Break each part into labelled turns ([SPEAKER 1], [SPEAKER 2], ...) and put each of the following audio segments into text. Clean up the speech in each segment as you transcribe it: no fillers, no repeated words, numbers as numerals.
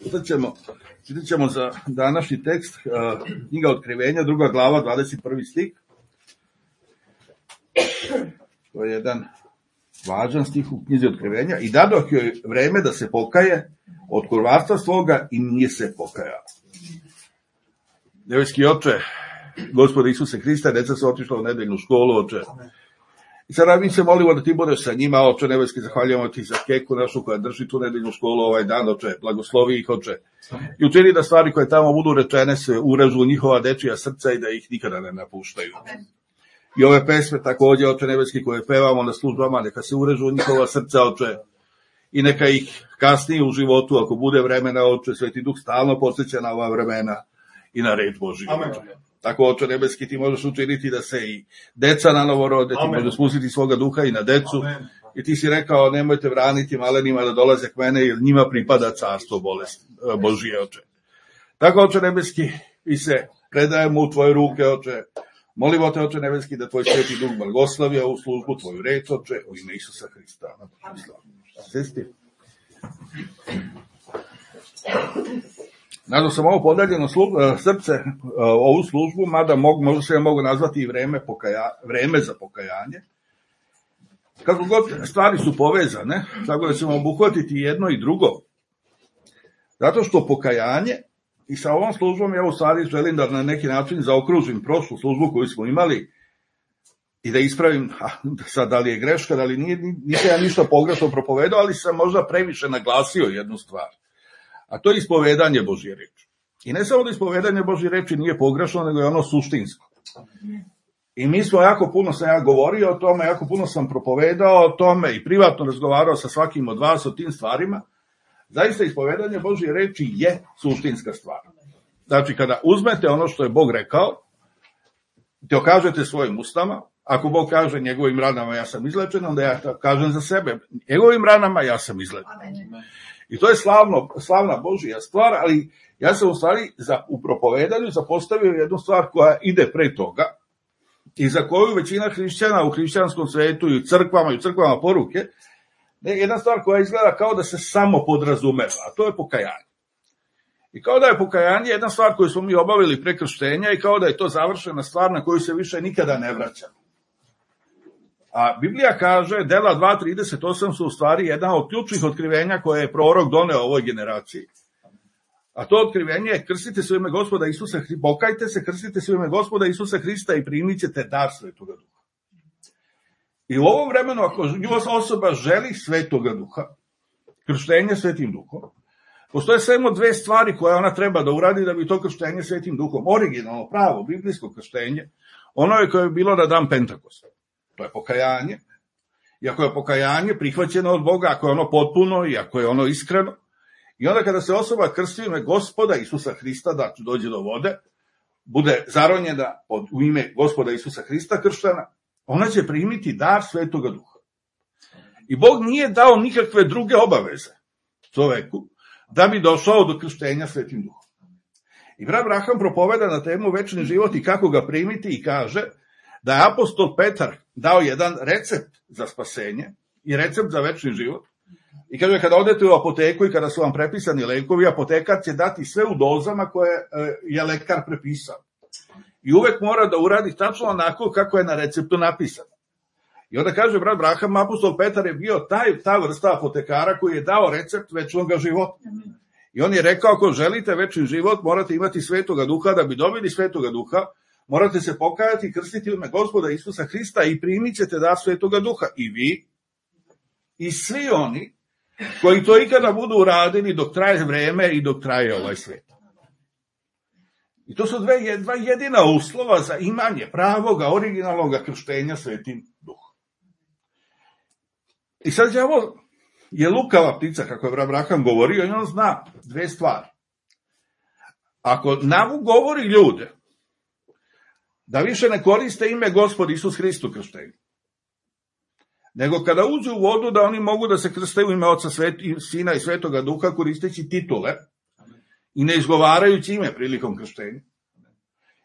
[SPEAKER 1] Čitat ćemo za današnji tekst knjiga Otkrivenja, 2. glava, 21. stih. To je jedan važan stih u knjizi Otkrivenja. I dadoh joj vreme da se pokaje od kurvarstva svoga i nije se pokajala. Nebeski Oče, Gospode Isuse Hrista, deca su otišla u nedeljnu školu, Oče. I sada mi se molimo da ti budeš sa njima, Oče nebeski, zahvaljujemo ti za Keku našu koja drži tu nedeljnu školu ovaj dan, Oče, blagoslovi ih, Oče. I učini da stvari koje tamo budu rečene se urežu u njihova dečija srca i da ih nikada ne napuštaju. I ove pesme također, Oče nebeski, koje pevamo na službama, neka se urežu u njihova srca, Oče, i neka ih kasnije u životu, ako bude vremena, Oče, Sveti Duh stalno podsjeća na ova vremena i na reč Božiju. Tako, Oče nebeski, ti možeš učiniti da se i deca na novo rode, ti možeš spustiti svoga duha i na decu. Amen. I ti si rekao, nemojte braniti malenima da dolaze k mene, jer njima pripada carstvo Božije, Oče. Tako, Oče nebeski, i se predajemo u tvoje ruke, Oče. Molimo te, Oče nebeski, da tvoj Sveti Duh blagoslovi ovu službu, tvoju reč, Oče, u ime Isusa Hrista. Sesti. Nadam sam ovo podaljeno srce, ovu službu, mada možda se mogu nazvati i vreme za pokajanje. Kako god stvari su povezane, tako da ćemo obuhvatiti jedno i drugo. Zato što pokajanje, i sa ovom službom ja u stvari želim da na neki način zaokružim prošlu službu koju smo imali i da ispravim, sad da li je greška, da li nije, nisam ja ništa pogrešno propovedao, ali sam možda previše naglasio jednu stvar. A to je ispovedanje Božje reči. I ne samo da ispovedanje Božje reči nije pogrešno, nego je ono suštinsko. I mi smo jako puno, sam ja govorio o tome, jako puno sam propovedao o tome i privatno razgovarao sa svakim od vas o tim stvarima. Zaista ispovedanje Božje reči je suštinska stvar. Znači, kada uzmete ono što je Bog rekao, te okažete svojim ustama, ako Bog kaže njegovim ranama ja sam izlečen, onda ja kažem za sebe, njegovim ranama ja sam izlečen. I to je slavna Božja stvar, ali ja sam u stvari u propovedanju zapostavio jednu stvar koja ide pre toga i za koju većina hrišćana u hrišćanskom svetu i u crkvama poruke, jedna stvar koja izgleda kao da se samo podrazumeva, a to je pokajanje. I kao da je pokajanje jedna stvar koju smo mi obavili pre krštenja i kao da je to završena stvar na koju se više nikada ne vraćamo. A Biblija kaže, dela 2.38 su u stvari jedna od ključnih otkrivenja koje je prorok doneo ovoj generaciji. A to otkrivenje je krstite se u ime Gospoda Isusa Hrista, pokajte se, krstite se u ime Gospoda Isusa Hrista i primit ćete dar Svetoga Duha. I u ovom vremenu, ako osoba želi Svetoga Duha, krštenje Svetim Duhom, postoje samo dve stvari koje ona treba da uradi da bi to krštenje Svetim Duhom, originalno, pravo, biblijsko krštenje, ono je koje je bilo na dan Pentakosta. To je pokajanje. I ako je pokajanje prihvaćeno od Boga, ako je ono potpuno i ako je ono iskreno, i onda kada se osoba krsti u ime Gospoda Isusa Hrista, da dođe do vode, bude zaronjena u ime Gospoda Isusa Hrista krštena, ona će primiti dar Svetoga Duha. I Bog nije dao nikakve druge obaveze čoveku da bi došao do krštenja Svetim Duhom. I brat Abraham propoveda na temu večni život i kako ga primiti i kaže da je apostol Petar dao jedan recept za spasenje i recept za večni život. I kaže, kada odete u apoteku i kada su vam prepisani lekovi, apotekar će dati sve u dozama koje je lekar prepisao. I uvek mora da uradi tačno onako kako je na receptu napisano. I onda kaže brat Abraham, apostol Petar je bio ta vrsta apotekara koji je dao recept večnog života. I on je rekao, ako želite večni život, morate imati Svetoga Duha, da bi dobili Svetoga Duha, morate se pokajati i krstiti u ime Gospoda Isusa Hrista i primit ćete dar Svetoga Duha. I vi, i svi oni koji to ikada budu uradili dok traje vreme i dok traje ovaj svet. I to su dva jedina uslova za imanje pravoga, originalnog krštenja Svetim Duhom. I sad ovo je lukava ptica, kako je Abraham govorio, i on zna dve stvari. Ako govori ljude da više ne koriste ime Gospod Isus Hristu krštenju, nego kada uđu u vodu da oni mogu da se krste u ime Oca, Sina i Svetoga Duha koristeći titule i ne izgovarajući ime prilikom krštenja.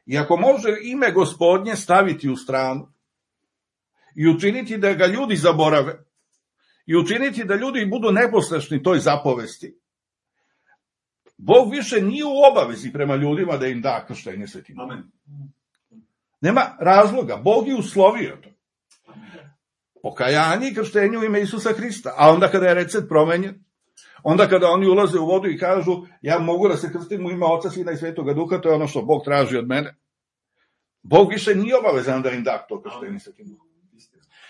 [SPEAKER 1] I ako može ime Gospodnje staviti u stranu i učiniti da ga ljudi zaborave i učiniti da ljudi budu neposlušni toj zapovesti, Bog više nije u obavezi prema ljudima da im da krštenje Svetim Duhom.
[SPEAKER 2] Amen.
[SPEAKER 1] Nema razloga, Bog je uslovio to. Pokajanje i krštenje u ime Isusa Hrista, a onda kada je recept promenjen, onda kada oni ulaze u vodu i kažu ja mogu da se krstim u ime Oca, Sina i Svetoga Duha, to je ono što Bog traži od mene. Bog više nije obavezan da im da to krštenje Svetim Duhom.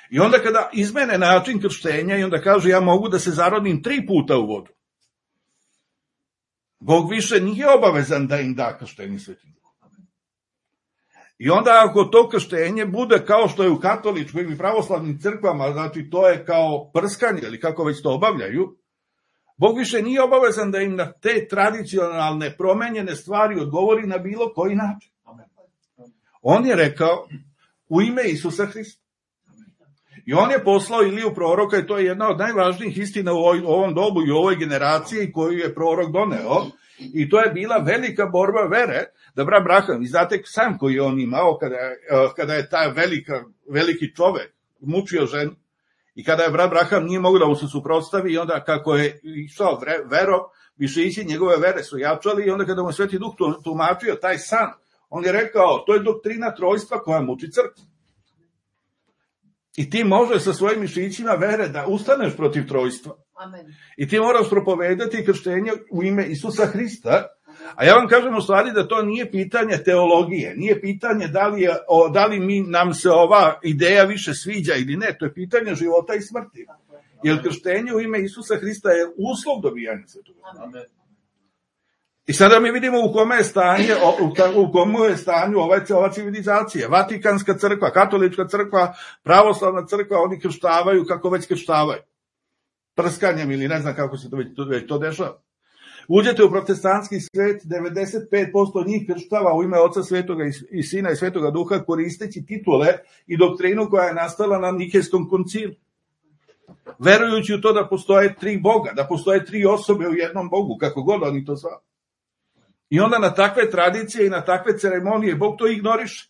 [SPEAKER 1] I onda kada izmene način krštenja i onda kažu ja mogu da se zarodim 3 puta u vodu, Bog više nije obavezan da im da krštenje Svetim Duhom. I onda ako to krštenje bude kao što je u katoličkim i pravoslavnim crkvama, znači to je kao prskanje ili kako već to obavljaju, Bog više nije obavezan da im na te tradicionalne promenjene stvari odgovori na bilo koji način. On je rekao u ime Isusa Hrista. I on je poslao Iliju proroka i to je jedna od najvažnijih istina u ovom dobu i u ovoj generaciji koju je prorok doneo. I to je bila velika borba vere da brat Braham, vi znate sam koji je on imao kada je taj veliki čovek mučio ženu i kada je brat Braham nije mogao da mu se suprotstavi i onda kako je išao vero, više ići njegove vere su jačali i onda kada mu je Sveti Duh tumačio taj san, on je rekao to je doktrina trojstva koja muči crkvu. I ti možeš sa svojim mišićima vere da ustaneš protiv trojstva.
[SPEAKER 3] Amen. I
[SPEAKER 1] ti moraš propovedati krštenje u ime Isusa Hrista. A ja vam kažem u stvari da to nije pitanje teologije, nije pitanje da li nam se ova ideja više sviđa ili ne, to je pitanje života i smrti. Jer krštenje u ime Isusa Hrista je uslov dobijanja Svetoga Duha. I sada mi vidimo u kome je stanju ova civilizacija. Vatikanska crkva, katolička crkva, pravoslavna crkva, oni krštavaju kako već krštavaju. Prskanjem ili ne znam kako se već to dešava. Uđete u protestantski svet, 95% njih krštava u ime Oca Svetoga i Sina i Svetoga Duha koristeći titule i doktrinu koja je nastala na Nikejskom koncilu. Verujući u to da postoje 3 Boga, da postoje 3 osobe u jednom Bogu, kako god oni to zvali. I onda na takve tradicije i na takve ceremonije Bog to ignoriše.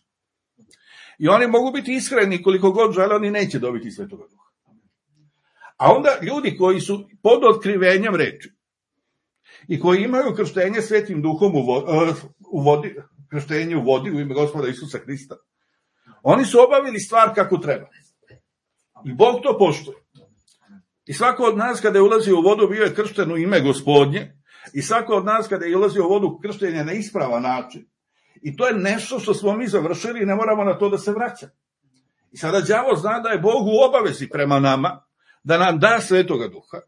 [SPEAKER 1] I oni mogu biti iskreni koliko god žele, oni neće dobiti Svetoga Duha. A onda ljudi koji su pod otkrivenjem reči i koji imaju krštenje Svetim Duhom krštenje u vodi u ime Gospoda Isusa Hrista, oni su obavili stvar kako treba. I Bog to poštuje. I svako od nas kada je ulazio u vodu bio je kršten u ime Gospodnje. I svako od nas kada je ulazio u vodu kršten je na ispravan način. I to je nešto što smo mi završili i ne moramo na to da se vraćamo. I sada đavo zna da je Bog u obavezi prema nama, da nam da Svetoga Duha.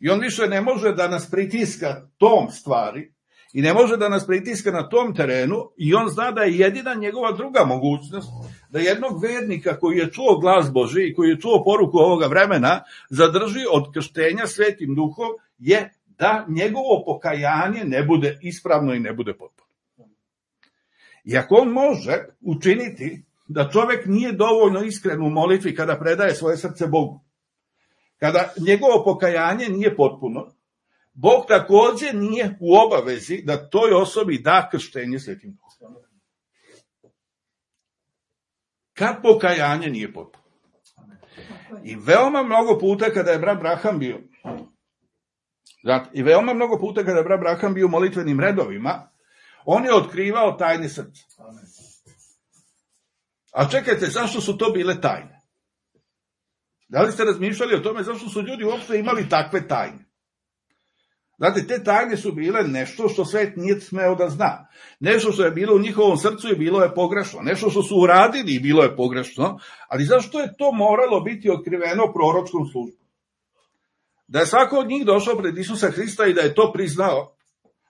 [SPEAKER 1] I on više ne može da nas pritiska tom stvari i ne može da nas pritiska na tom terenu i on zna da je jedina njegova druga mogućnost da jednog vernika koji je čuo glas Božji i koji je čuo poruku ovoga vremena zadrži od krštenja Svetim Duhom je da njegovo pokajanje ne bude ispravno i ne bude potpuno. I ako on može učiniti da čovek nije dovoljno iskren u molitvi kada predaje svoje srce Bogu, kada njegovo pokajanje nije potpuno, Bog takođe nije u obavezi da toj osobi da krštenje Svetim Duhom. Kad pokajanje nije potpuno. I veoma mnogo puta kada je brat Braham bio u molitvenim redovima, on je otkrivao tajne srca. A čekajte, zašto su to bile tajne? Da li ste razmišljali o tome zašto su ljudi uopšte imali takve tajne? Znate, te tajne su bile nešto što svet nije smeo da zna. Nešto što je bilo u njihovom srcu i bilo je pogrešno. Nešto što su uradili i bilo je pogrešno. Ali zašto je to moralo biti otkriveno proročkom službom? Da je svako od njih došao pred Isusa Hrista i da je to priznao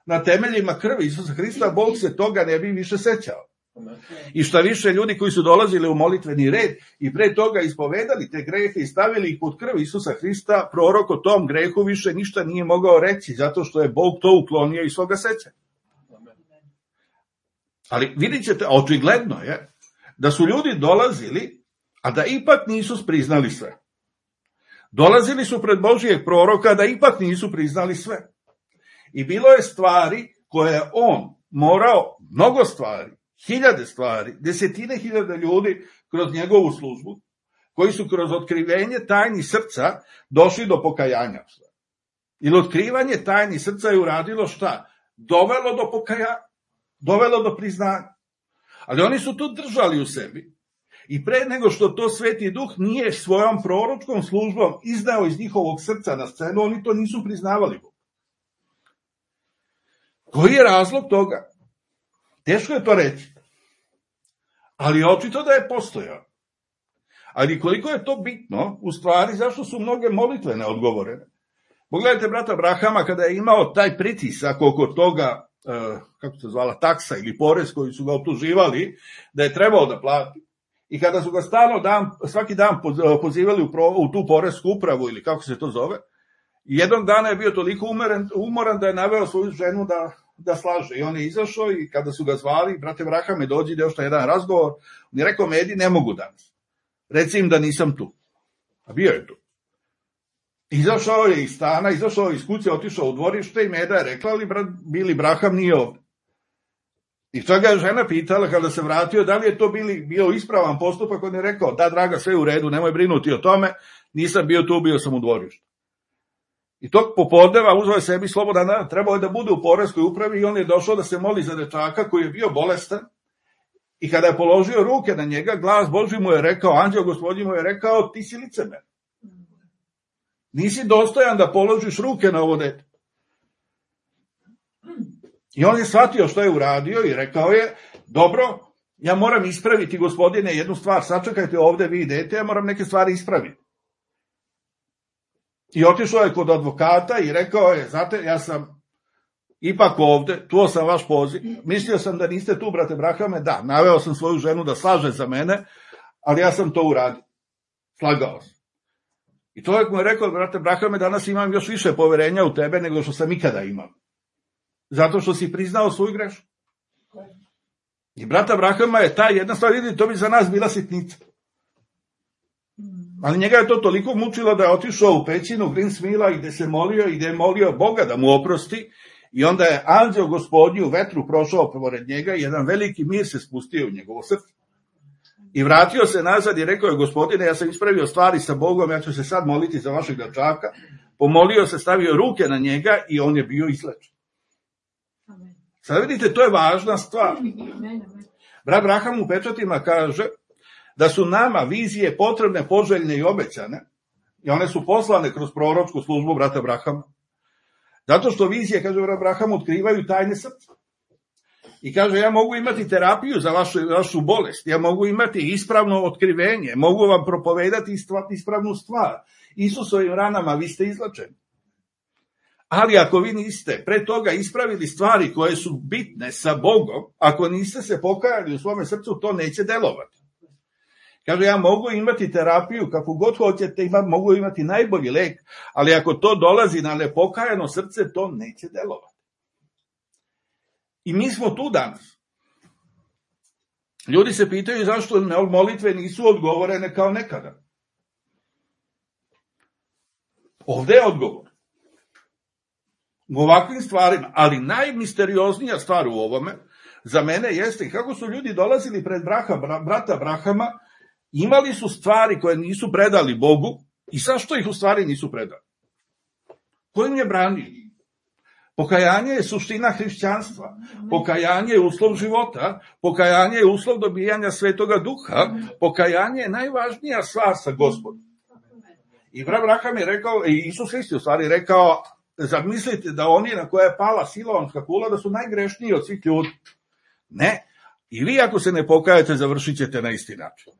[SPEAKER 1] na temeljima krvi Isusa Hrista, Bog se toga ne bi više sećao. I šta više, ljudi koji su dolazili u molitveni red i pre toga ispovedali te grehe i stavili ih pod krv Isusa Hrista, prorok o tom grehu više ništa nije mogao reći, zato što je Bog to uklonio iz svoga sećanja. Ali vidit ćete, očigledno je da su ljudi dolazili, a da ipak nisu priznali sve. Dolazili su pred Božijeg proroka, da ipak nisu priznali sve. I bilo je stvari koje je on morao, mnogo stvari, 1000 stvari, 10.000 ljudi kroz njegovu službu, koji su kroz otkrivenje tajni srca došli do pokajanja. Ili otkrivanje tajni srca je uradilo šta? dovelo do pokajanja, dovelo do priznanja. Ali oni su to držali u sebi i pre nego što to Sveti Duh nije svojom proročkom službom izneo iz njihovog srca na scenu, oni to nisu priznavali. Koji je razlog toga? Teško je to reći. Ali očito da je postojao. Ali koliko je to bitno, u stvari, zašto su mnoge molitve neodgovorene? Pogledajte brata Abrahama kada je imao taj pritisak oko toga, kako se zvala, taksa ili porez koji su ga optuživali, da je trebao da plati. I kada su ga svaki dan pozivali u tu poresku upravu ili kako se to zove, jednog dana je bio toliko umoran da je naveo svoju ženu da slaže. I on je izašao i kada su ga zvali, brate Abrahame, dođi da još jedan razgovor, on je rekao, Medi, ne mogu danas. Reci im da nisam tu. A bio je tu. Izašao je iz stana, izašao je iz kuće, otišao u dvorište i Meda je rekla, ali Bili Braham nije ovde. I čak ga je žena pitala kada se vratio, da li je to bio ispravan postupak, on je rekao, da draga, sve u redu, nemoj brinuti o tome, nisam bio tu, bio sam u dvorištu. I tog popodneva uzeo je sebi slobodan dan, trebao je da bude u poreskoj upravi i on je došao da se moli za dečaka koji je bio bolestan. I kada je položio ruke na njega, glas Božji mu je rekao, anđeo Gospodnji mu je rekao, ti si licemer. Nisi dostojan da položiš ruke na ovo dete. I on je shvatio što je uradio i rekao je, dobro, ja moram ispraviti, Gospodine, jednu stvar, sačekajte ovde vi dete, ja moram neke stvari ispraviti. I otišao je kod advokata i rekao je, znate, ja sam ipak ovde, čuo sam vaš poziv, mislio sam da niste tu, brate Abrahame, da, naveo sam svoju ženu da slaže za mene, ali ja sam to uradio. Slagao sam. I čovjek mu je rekao, brate Abrahame, danas imam još više poverenja u tebe nego što sam ikada imao. Zato što si priznao svoju grešku. I brata Abrahama je ta jedna stvar, vidite, to bi za nas bila sitnica. Ali njega je to toliko mučilo da je otišao u pećinu Grinsmila i gde se molio i gde je molio Boga da mu oprosti i onda je anđeo Gospodnji u vetru prošao pored njega i jedan veliki mir se spustio u njegovo srce. I vratio se nazad i rekao je, Gospodine, ja sam ispravio stvari sa Bogom, ja ću se sad moliti za vašeg dečaka. Pomolio se, stavio ruke na njega i on je bio izlečen. Sad vidite, to je važna stvar. Brat Abraham u pečatima kaže da su nama vizije potrebne, poželjne i obećane, i one su poslane kroz proročku službu brata Abrahama. Zato što vizije, kaže brat Abraham, otkrivaju tajne srca. I kaže, ja mogu imati terapiju za vašu bolest, ja mogu imati ispravno otkrivenje, mogu vam propovedati ispravnu stvar. Isusovim ranama vi ste izlečeni. Ali ako vi niste pre toga ispravili stvari koje su bitne sa Bogom, ako niste se pokajali u svome srcu, to neće delovati. Kaže, ja mogu imati terapiju, kako god hoćete, mogu imati najbolji lek, ali ako to dolazi na nepokajano srce, to neće delovati. I mi smo tu danas. Ljudi se pitaju zašto molitve nisu odgovorene kao nekada. Ovde je odgovor. U ovakvim stvarima, ali najmisterioznija stvar u ovome za mene jeste kako su ljudi dolazili pred brata Abrahama, imali su stvari koje nisu predali Bogu i zašto ih u stvari nisu predali? Ko im je branio? Pokajanje je suština hrišćanstva, pokajanje je uslov života, pokajanje je uslov dobijanja Svetoga Duha, pokajanje je najvažnija stvar sa Gospodom. I brat Abraham je rekao, i Isus Hrist je u stvari rekao, zamislite da oni na koje je pala siloamska kula da su najgrešniji od svih ljudi. Ne. I vi ako se ne pokajete, završit ćete na isti način.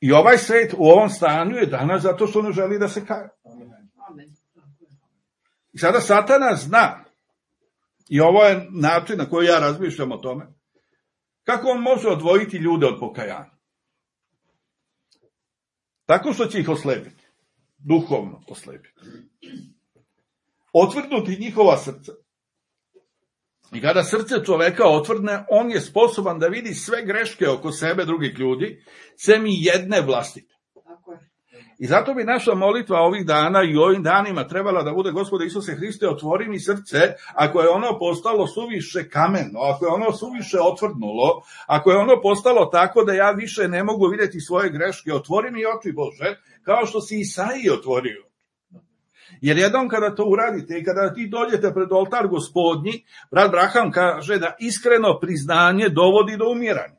[SPEAKER 1] I ovaj svet u ovom stanju je danas zato što ne želi da se kaje. I sada Satana zna, i ovo je način na koji ja razmišljam o tome, kako on može odvojiti ljude od pokajanja. Tako što će ih oslepiti. Duhovno oslepiti. Otvrdnuti njihova srca. I kada srce čoveka otvrdne, on je sposoban da vidi sve greške oko sebe drugih ljudi, sem i jedne vlastite. I zato bi naša molitva ovih dana i ovim danima trebala da bude, Gospode Isuse Hriste, otvori mi srce, ako je ono postalo suviše kameno, ako je ono suviše otvrdnulo, ako je ono postalo tako da ja više ne mogu vidjeti svoje greške, otvori mi oči, Bože, kao što si Isaiji otvorio. Jer jednom kada to uradite i kada ti dođete pred oltar Gospodnji, brat Braham kaže da iskreno priznanje dovodi do umiranja.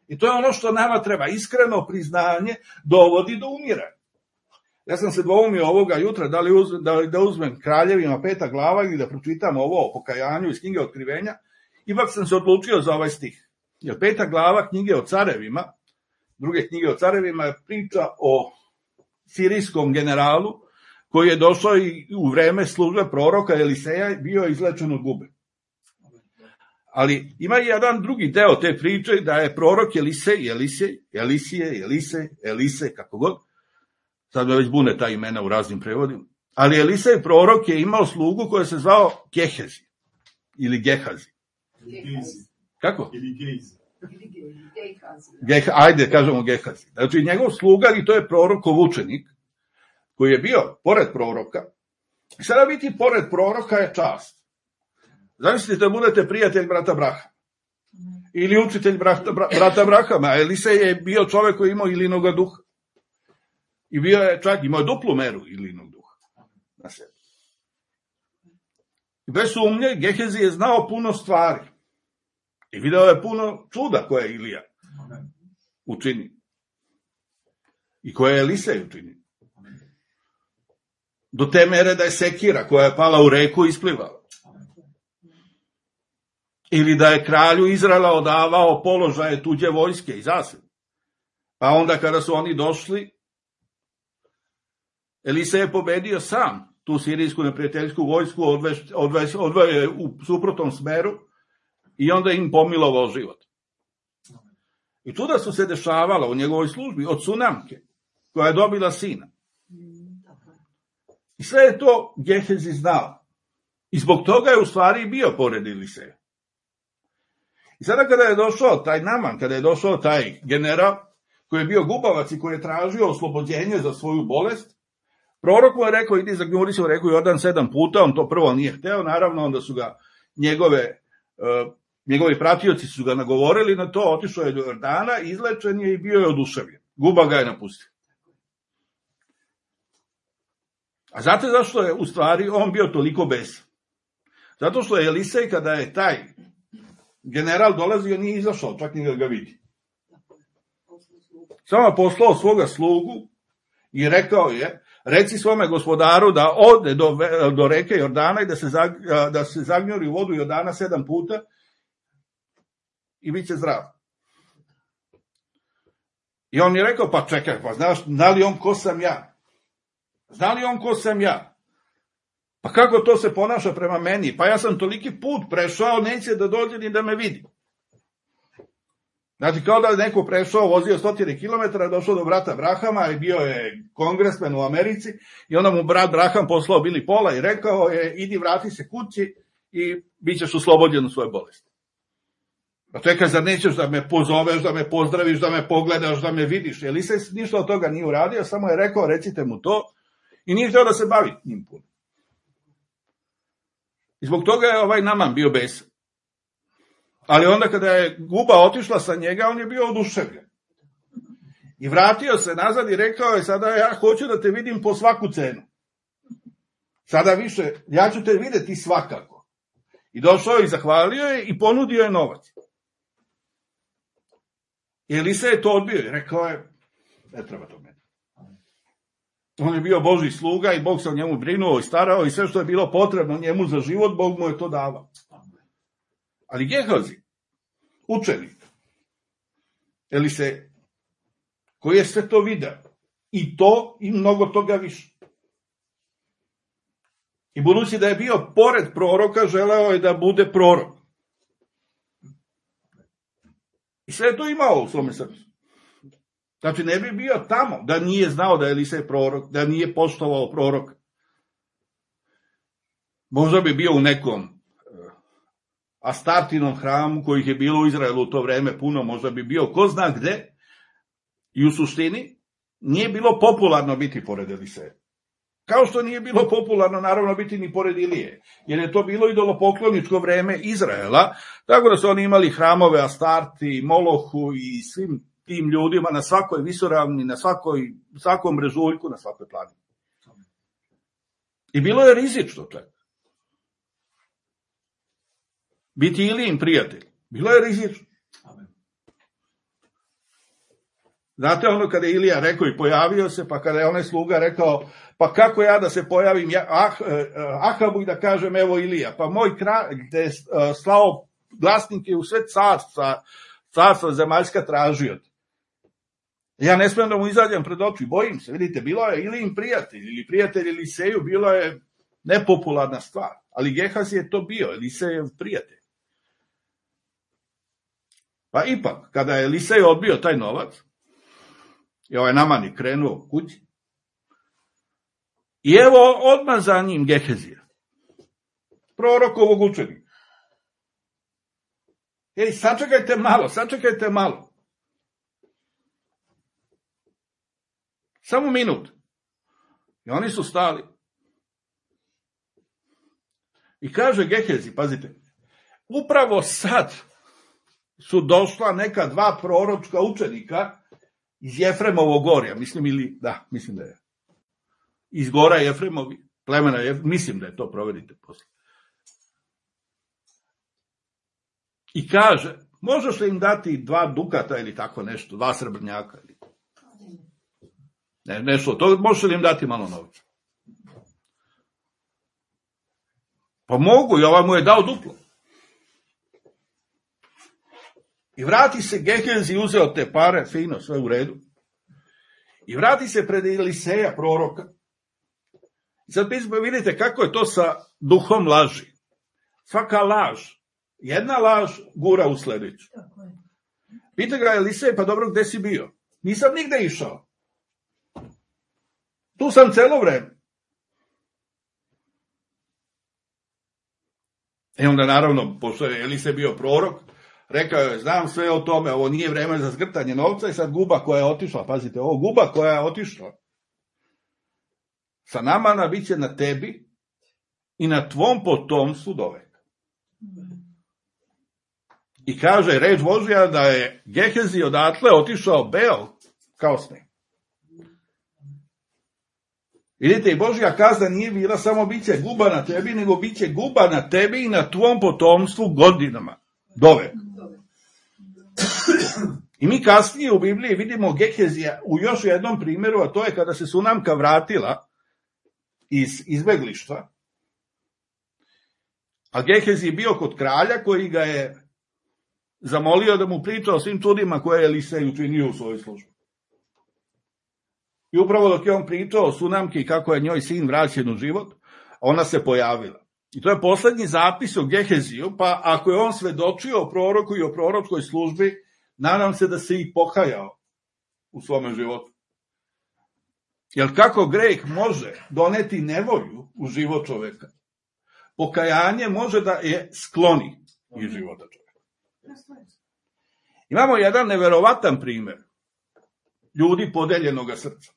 [SPEAKER 1] I to je ono što nama treba, iskreno priznanje dovodi do umiranja. Ja sam se dvoumio ovoga jutra da uzmem Kraljevima 5. glava ili da pročitam ovo o pokajanju iz knjige Otkrivenja. Ipak sam se odlučio za ovaj stih. Jer 5. glava knjige o carevima, druge knjige o carevima je priča o sirijskom generalu koji je došao i u vreme službe proroka Eliseja bio izlečen od gube. Ali ima i jedan drugi deo te priče da je prorok Elisej, kako god, sad me već bune ta imena u raznim prevodima, ali Elisej prorok je imao slugu koja se zvao Gehezi ili Gehazi. Kako? Ajde, kažemo Gehazi. Znači, njegov sluga, i to je prorokov učenik, koji je bio pored proroka. Sada biti pored proroka je čast. Zamislite da budete prijatelj brata Brahama. Ili učitelj brata Brahama. Elisej je bio čovek koji je imao ilinog duha. I bio je čak, imao duplu meru ilinog duha na sebi. I bez sumnje, Gehezi je znao puno stvari. I video je puno čuda koje je Ilija učinio. I koje je Elisej učinio. Do te mere da je sekira koja je pala u reku isplivala. Ili da je kralju Izraela odavao položaje tuđe vojske i zasebe. Pa onda kada su oni došli, Elisej je pobedio sam tu sirijsku neprijateljsku vojsku, odveo je u suprotnom smeru i onda im pomilovao život. I čuda su se dešavala u njegovoj službi od Sunamke, koja je dobila sina. I sve je to Gehezi znao. I zbog toga je u stvari bio pored Eliseja. I sada kada je došao taj Naman, kada je došao taj general, koji je bio gubavac i koji je tražio oslobođenje za svoju bolest, prorok mu je rekao, idi zagnjuri se u reku Jordan 7 puta, on to prvo nije hteo, naravno onda su ga njegovi pratioci su ga nagovorili na to, otišao je do Jordana, izlečen je i bio je oduševljen. Guba ga je napustio. A znate zašto je u stvari on bio toliko besan? Zato što je Elisej, kada je taj general dolazio, nije izašao, čak ni da ga vidi. Samo poslao svoga slugu i rekao je, reci svome gospodaru da ode do reke Jordana i da se zagnjuri u vodu Jordana 7 puta i bit će zdrav. I on mi je rekao, pa čekaj, pa znaš, zna li on ko sam ja? Zna li on ko sam ja? Pa kako to se ponaša prema meni? Pa ja sam toliki put prešao, neće da dođe ni da me vidi. Znači, kao da je neko prešao, vozio 100 kilometara, došao do brata Brahama i bio je kongresmen u Americi i onda mu brat Braham poslao Bili Pola i rekao je, idi vrati se kući i bit ćeš oslobođen u svoje bolesti. Pa čekaj, zar nećeš da me pozoveš, da me pozdraviš, da me pogledaš, da me vidiš? Elisej ništa od toga nije uradio, samo je rekao, recite mu to i nije htio da se bavi njim puno. I zbog toga je ovaj Naman bio besan. Ali onda kada je guba otišla sa njega, on je bio oduševljen. I vratio se nazad i rekao je, sada ja hoću da te vidim po svaku cenu. Sada više, ja ću te videti svakako. I došao i zahvalio je i ponudio je novac. I Elisej je to odbio i rekao je, ne treba to meni. On je bio Božji sluga i Bog se o njemu brinuo i starao i sve što je bilo potrebno njemu za život, Bog mu je to davao. Ali Gehazi, učenik, Elisej, koji je sve to video, i to i mnogo toga više. I budući da je bio pored proroka, želeo je da bude prorok. I sve je to imao u svome srcu. Znači, ne bi bio tamo da nije znao da je Elisej prorok, da nije poštovao proroka. Možda bi bio u nekom Astartinom hramu, kojih je bilo u Izraelu u to vreme puno, možda bi bio ko zna gde, i u suštini nije bilo popularno biti pored Eliseja. Kao što nije bilo popularno, naravno, biti ni pored Ilije, jer je to bilo idolopokloničko vreme Izraela, tako da su oni imali hramove Astarti, Molohu i svim tim ljudima na svakoj visoravni, na svakom brežuljku, na svakoj planini. I bilo je rizično čak. Biti Ilijin prijatelj. Bilo je rizično. Znate ono kada je Ilija rekao i pojavio se, pa kada je onaj sluga rekao, pa kako ja da se pojavim Ahabu i da kažem evo Ilija, pa moj kralj gde je slao glasnike u sve carstva zemaljska tražio. Ja ne smijem da mu izađem pred oči, bojim se, vidite, bilo je Ilijin prijatelj ili prijatelj Eliseju, bilo je nepopularna stvar, ali Gehazi je to bio, Elisejev prijatelj. Pa ipak, kada je Elisej odbio taj novac, i ovaj Naman je krenuo kući, i evo odmah za njim Gehezija, prorokovog učenika. Sačekajte malo. Samo minut. I oni su stali. I kaže Gehezi, pazite, upravo sad su došla neka dva proročka učenika iz Jefremovog gorja, mislim da je. Iz gora Jefremovi, plemena, mislim da je to, proverite posle. I kaže, možeš li im dati 2 dukata ili tako nešto, 2 srebrnjaka? Ne, nešto, to možeš li im dati malo novca? Pa mogu, i ovaj mu je dao duplo. I vrati se Gehezi, uzeo te pare, fino, sve u redu. I vrati se pred Eliseja, proroka. I sad vidite kako je to sa duhom laži. Svaka laž, jedna laž gura u sljedeću. Pita ga Elisej, pa dobro, gde si bio? Nisam nigde išao. Tu sam celo vreme. I onda naravno, pošto je Elisej bio prorok, rekao je, znam sve o tome, ovo nije vreme za zgrtanje novca i sad guba koja je otišla, pazite, ovo guba koja je otišla sa Namana bit će na tebi i na tvom potomstvu do veka. I kaže reč Božja da je Gehezi odatle otišao beo kao sneg. Vidite, i Božja kazna nije bila samo bit će guba na tebi, nego bit će guba na tebi i na tvom potomstvu godinama do veka. I mi kasnije u Bibliji vidimo Gehezija u još jednom primjeru, a to je kada se Sunamka vratila iz izbeglištva, a Gehezi je bio kod kralja koji ga je zamolio da mu priča o svim čudima koje je Elisej učinio u svojoj službi. I upravo dok je on pričao o Sunamki i kako je njoj sin vraćen u život, ona se pojavila. I to je poslednji zapis o Geheziju, pa ako je on svedočio o proroku i o proročkoj službi, nadam se da se i pokajao u svome životu. Jer kako greh može doneti nevolju u život čoveka, pokajanje može da je skloni iz života čoveka. Imamo jedan neverovatan primer ljudi podeljenoga srca.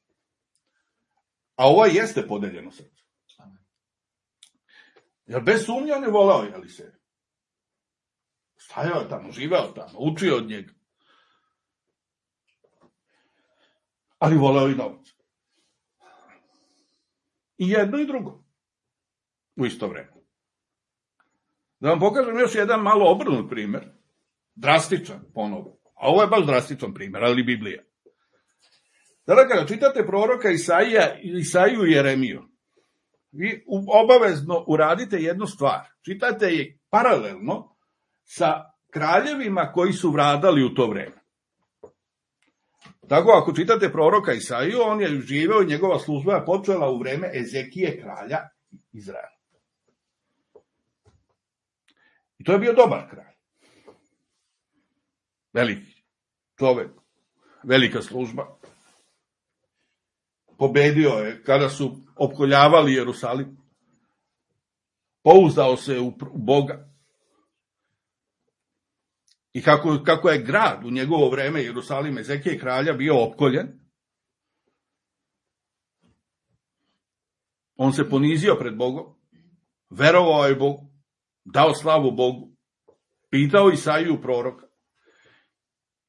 [SPEAKER 1] A ovo jeste podeljeno srce. Jer bez sumnje on je volao Eliseja. Stajao je tamo, živeo tamo, učio od njega. Ali volao i novac. I jedno i drugo. U isto vreme. Da vam pokažem još jedan malo obrnut primer. Drastičan, ponovo. A ovo je baš drastičan primer, ali Biblija. Sada kada čitate proroka Isaiju i Jeremiju, vi obavezno uradite jednu stvar. Čitate je paralelno sa kraljevima koji su vladali u to vreme. Tako, ako čitate proroka Isaiju, on je živeo i njegova služba je počela u vreme Ezekije, kralja Izraela. I to je bio dobar kralj. Veliki čovek, velika služba. Pobedio je kada su opkoljavali Jerusalim. Pouzdao se u Boga. I kako je grad u njegovo vreme, Jerusalim, Ezekije kralja, bio opkoljen, on se ponizio pred Bogom, verovao je Bogu, dao slavu Bogu, pitao Isaiju proroka.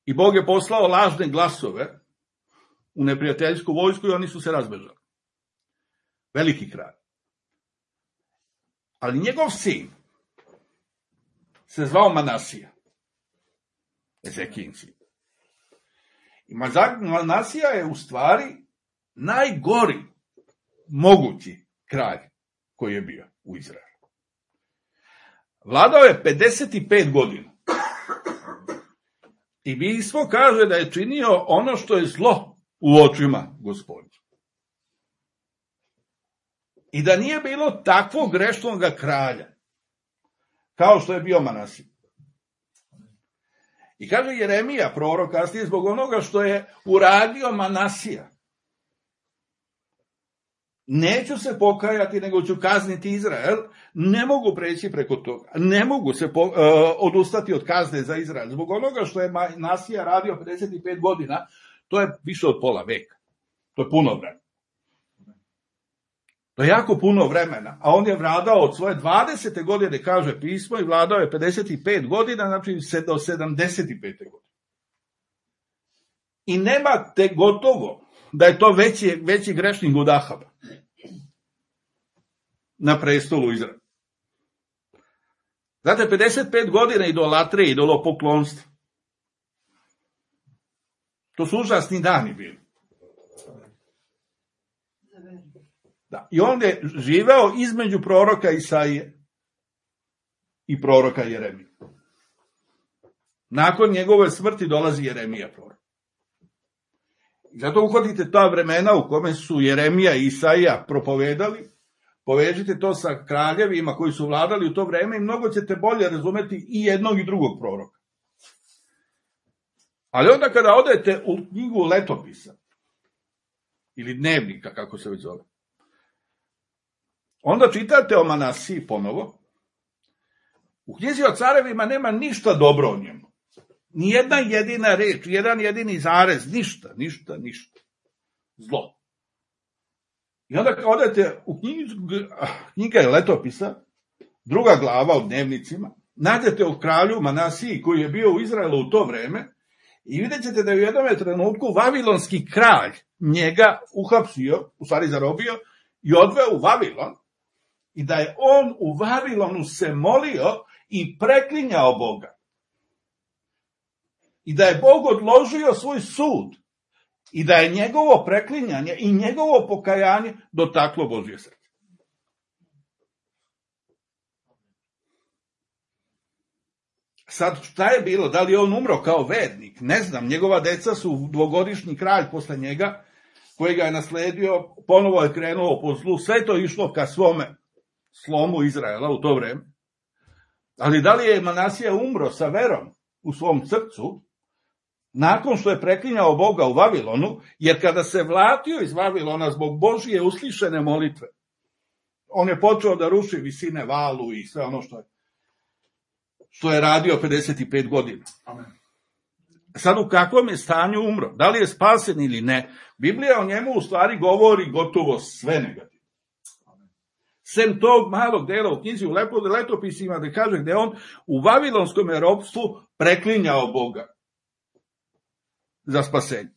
[SPEAKER 1] I Bog je poslao lažne glasove u neprijateljsku vojsku i oni su se razbežali. Veliki kralj. Ali njegov sin se zvao Manasija. Ezekijin sin. I Manasija je u stvari najgori mogući kralj koji je bio u Izraelu. Vladao je 55 godina. I pismo kaže da je činio ono što je zlo u očima Gospodnjih. I da nije bilo takvog grešnog kralja kao što je bio Manasija. I kaže Jeremija, prorok, kasnije zbog onoga što je uradio Manasija. Neću se pokajati, nego ću kazniti Izrael. Ne mogu preći preko toga. Ne mogu se odustati od kazne za Izrael. Zbog onoga što je Manasija radio 55 godina, to je više od pola veka. To je puno vremena. To je jako puno vremena. A on je vladao od svoje 20. godine, kaže pismo, i vladao je 55 godina, znači do 75. godine. I nemate gotovo da je to veći grešnik od Ahaba na prestolu Izraela. Znate, 55 godina idolatrije, idolopoklonstva. To su užasni dani bili. Da. I on je živeo između proroka Isaije i proroka Jeremije. Nakon njegove smrti dolazi Jeremija prorok. I zato uhodite ta vremena u kome su Jeremija i Isaija propovedali, povežite to sa kraljevima koji su vladali u to vreme i mnogo ćete bolje razumeti i jednog i drugog proroka. Ali onda kada odete u knjigu letopisa, ili dnevnika, kako se već zove, onda čitate o Manasiji ponovo. U knjizi o carevima nema ništa dobro o njemu. Nijedna jedina reč, jedan jedini zarez, ništa. Zlo. I onda kad odete u knjiga letopisa, druga glava o dnevnicima, nađete o kralju Manasiji koji je bio u Izraelu u to vreme i vidjet ćete da je u jednom trenutku vavilonski kralj njega uhapsio, u stvari zarobio i odveo u Vavilon i da je on u Vavilonu se molio i preklinjao Boga. I da je Bog odložio svoj sud i da je njegovo preklinjanje i njegovo pokajanje dotaklo Božje srce. Sad, šta je bilo? Da li je on umro kao vernik? Ne znam, njegova deca su dvogodišnji kralj posle njega, koji ga je nasledio, ponovo je krenuo po zlu, sve to išlo ka svome slomu Izraela u to vreme. Ali da li je Manasija umro sa verom u svom srcu, nakon što je preklinjao Boga u Vavilonu, jer kada se vratio iz Vavilona zbog Božije uslišene molitve, on je počeo da ruši visine valu i sve ono što je radio 55 godina. Amen. Sad u kakvom je stanju umro? Da li je spasen ili ne? Biblija o njemu u stvari govori gotovo sve negativno. Sem tog malog dela u knjizi u letopisima da kaže gde on u vavilonskom ropstvu preklinjao Boga za spasenje.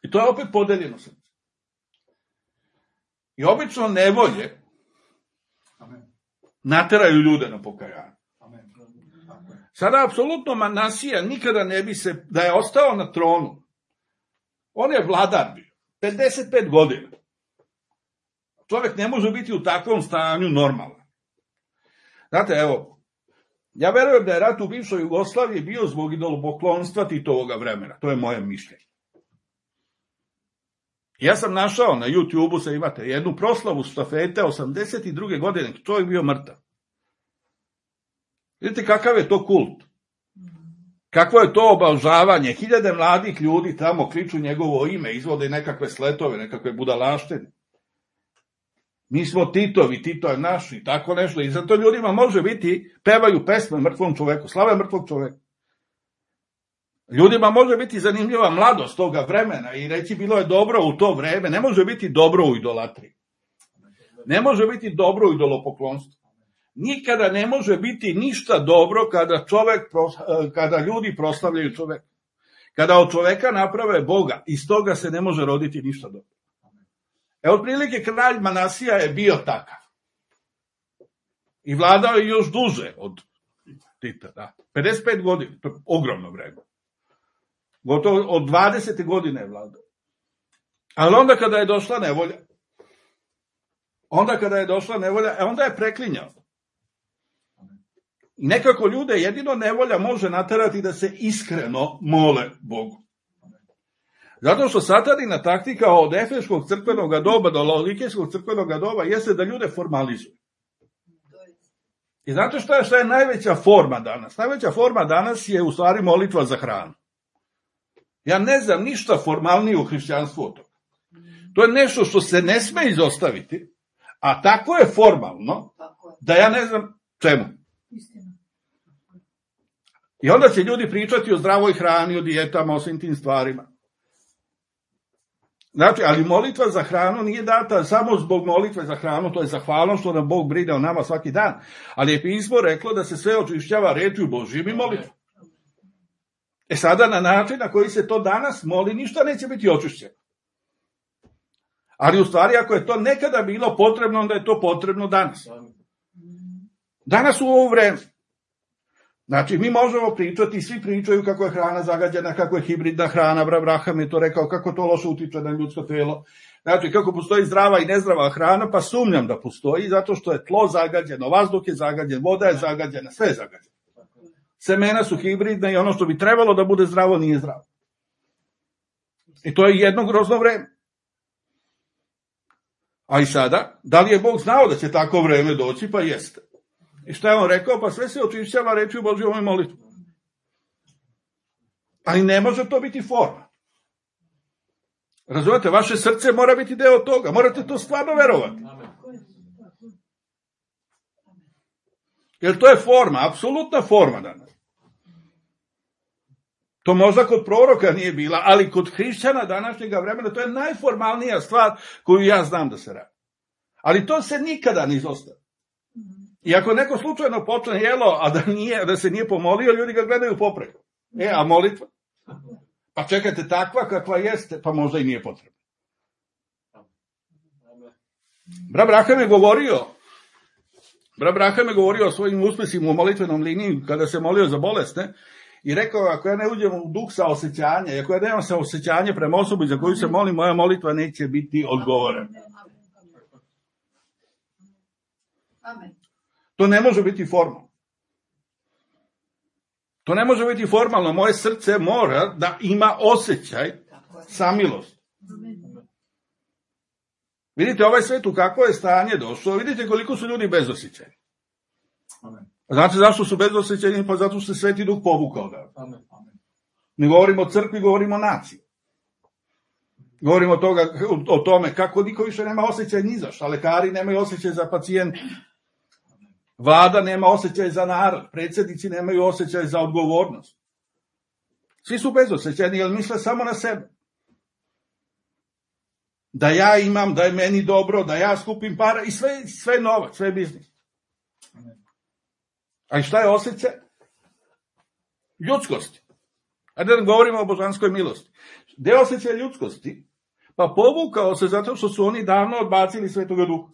[SPEAKER 1] I to je opet podeljeno srce. I obično nevolje nateraju ljude na pokajanje. Sada apsolutno Manasija nikada ne bi se, da je ostao na tronu, on je vladar bio, 55 godina. Čovjek ne može biti u takvom stanju normalan. Znate, evo, ja verujem da je rat u bivšoj Jugoslaviji bio zbog idolopoklonstva Titovoga vremena. To je moje mišljenje. Ja sam našao na YouTube-u, se imate jednu proslavu štafete 82. godine, čovjek bio mrtav. Vidite kakav je to kult. Kakvo je to obožavanje. Hiljade mladih ljudi tamo kliču njegovo ime, izvode nekakve sletove, nekakve budalaštine. Mi smo Titovi, Tito je naš i tako nešto. I zato ljudima može biti, pevaju pesme mrtvom čoveku, slave mrtvog čoveka. Ljudima može biti zanimljiva mladost toga vremena i reći bilo je dobro u to vreme. Ne može biti dobro u idolatriji. Ne može biti dobro u idolopoklonstvu. Nikada ne može biti ništa dobro kada ljudi proslavljaju čoveka. Kada od čoveka naprave Boga, iz toga se ne može roditi ništa dobro. Otprilike kralj Manasija je bio takav. I vladao je još duže od Tita, da. 55 godina, to je ogromno vreme. Gotovo od 20. godine je vladao. Ali onda kada je došla nevolja, onda je preklinjao. Nekako ljude jedino nevolja može naterati da se iskreno mole Bogu. Zato što satanina taktika od efeškog crkvenog doba do laodikejskog crkvenog doba jeste da ljude formalizuju. I znate šta je najveća forma danas? Najveća forma danas je u stvari molitva za hranu. Ja ne znam ništa formalnije u hrišćanstvu od toga. To je nešto što se ne sme izostaviti, a tako je formalno da ja ne znam čemu. I onda će ljudi pričati o zdravoj hrani, o dijetama, o svim tim stvarima. Znači, ali molitva za hranu nije data samo zbog molitve za hranu, to je zahvalno što nam Bog brine o nama svaki dan. Ali je pismo reklo da se sve očišćava rečju Božjim i molitvom. Sada na način na koji se to danas moli, ništa neće biti očišćeno. Ali u stvari, ako je to nekada bilo potrebno, onda je to potrebno danas. Danas u ovo vreme. Znači, mi možemo pričati, svi pričaju kako je hrana zagađena, kako je hibridna hrana, Abraham je to rekao, kako to loše utiče na ljudsko telo. Znači, kako postoji zdrava i nezdrava hrana, pa sumnjam da postoji, zato što je tlo zagađeno, vazduh je zagađen, voda je zagađena, sve je zagađeno. Semena su hibridna i ono što bi trebalo da bude zdravo, nije zdravo. I to je jedno grozno vreme. A i sada, da li je Bog znao da će tako vreme doći? Pa jeste. I šta je on rekao? Pa sve se očišćava rečju Božjom i molitvom. Ali ne može to biti forma. Razumete, vaše srce mora biti deo toga. Morate to stvarno verovati. Jer to je forma, apsolutna forma danas. To možda kod proroka nije bila, ali kod hrišćana današnjega vremena to je najformalnija stvar koju ja znam da se radi. Ali to se nikada ne izostavi. I ako neko slučajno počne jelo, a da se nije pomolio, ljudi ga gledaju popreko. A molitva? Pa čekajte, takva kakva jeste, pa možda i nije potrebna. Abraham je govorio o svojim uspesima u molitvenom liniji kada se molio za bolesne i rekao, ako ja ne uđem u duh saosećanja, ako ja nemam saosećanje prema osobi za koju se molim, moja molitva neće biti odgovorena.
[SPEAKER 2] Amen.
[SPEAKER 1] To ne može biti formalno. To ne može biti formalno. Moje srce mora da ima osjećaj samilosti. Vidite ovaj svet u kakvo je stanje došlo. Vidite koliko su ljudi bezosjećajni. Znate zašto su bezosjećajni? Pa zato što se Sveti Duh povukao. Ne govorimo o crkvi, govorimo o naciji. Govorimo o tome kako niko više nema osjećaj ni za šta. Lekari nemaju osjećaj za pacijente. Vlada nema osjećaj za narod, predsjednici nemaju osjećaj za odgovornost. Svi su bezosjećajni, jer misle samo na sebe. Da ja imam, da je meni dobro, da ja skupim para i sve novac, sve biznis. A i šta je osjećaj? Ljudskosti. Ajde da govorimo o božanskoj milosti. Gde je osjećaj ljudskosti? Pa povukao se zato što su oni davno odbacili Svetoga Duha.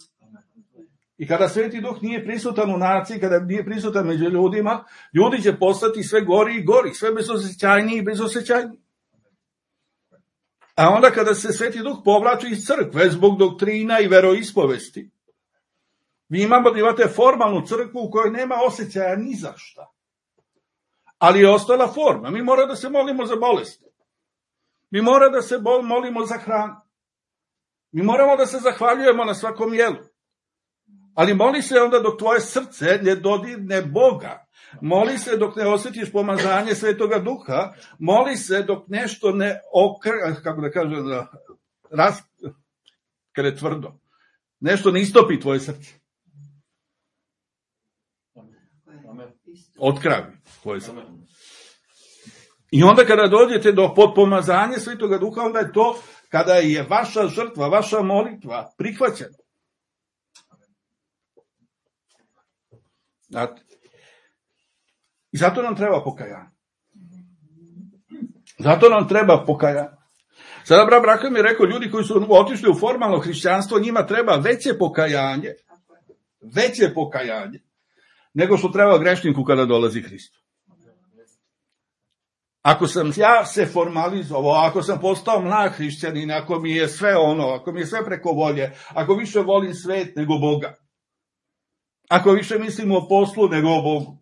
[SPEAKER 1] I kada Sveti Duh nije prisutan u naciji, kada nije prisutan među ljudima, ljudi će postati sve gori i gori, sve bezosjećajniji i bezosjećajniji. A onda kada se Sveti Duh povlači iz crkve zbog doktrina i veroispovesti, vi imate formalnu crkvu u kojoj nema osjećaja ni za šta. Ali je ostala forma. Mi moramo da se molimo za bolesti. Mi moramo da se molimo za hranu. Mi moramo da se zahvaljujemo na svakom jelu. Ali moli se onda dok tvoje srce ne dodirne Boga. Moli se dok ne osjetiš pomazanje Svetoga Duha. Moli se dok nešto ne kad je tvrdo. Nešto ne istopi tvoje srce. Otkravi tvoje srce. I onda kada dođete do potpomazanja Svetoga Duha, onda je to kada je vaša žrtva, vaša molitva prihvaćena. Znate? I zato nam treba pokajanje. Sada Abraham je rekao, ljudi koji su otišli u formalno hrišćanstvo, njima treba veće pokajanje nego što treba grešniku kada dolazi Hrist. Ako sam ja se formalizovao, ako sam postao mlad hrišćanin, ako mi je sve ako mi je sve preko volje, ako više volim svet nego Boga, ako više mislim o poslu nego o Bogu,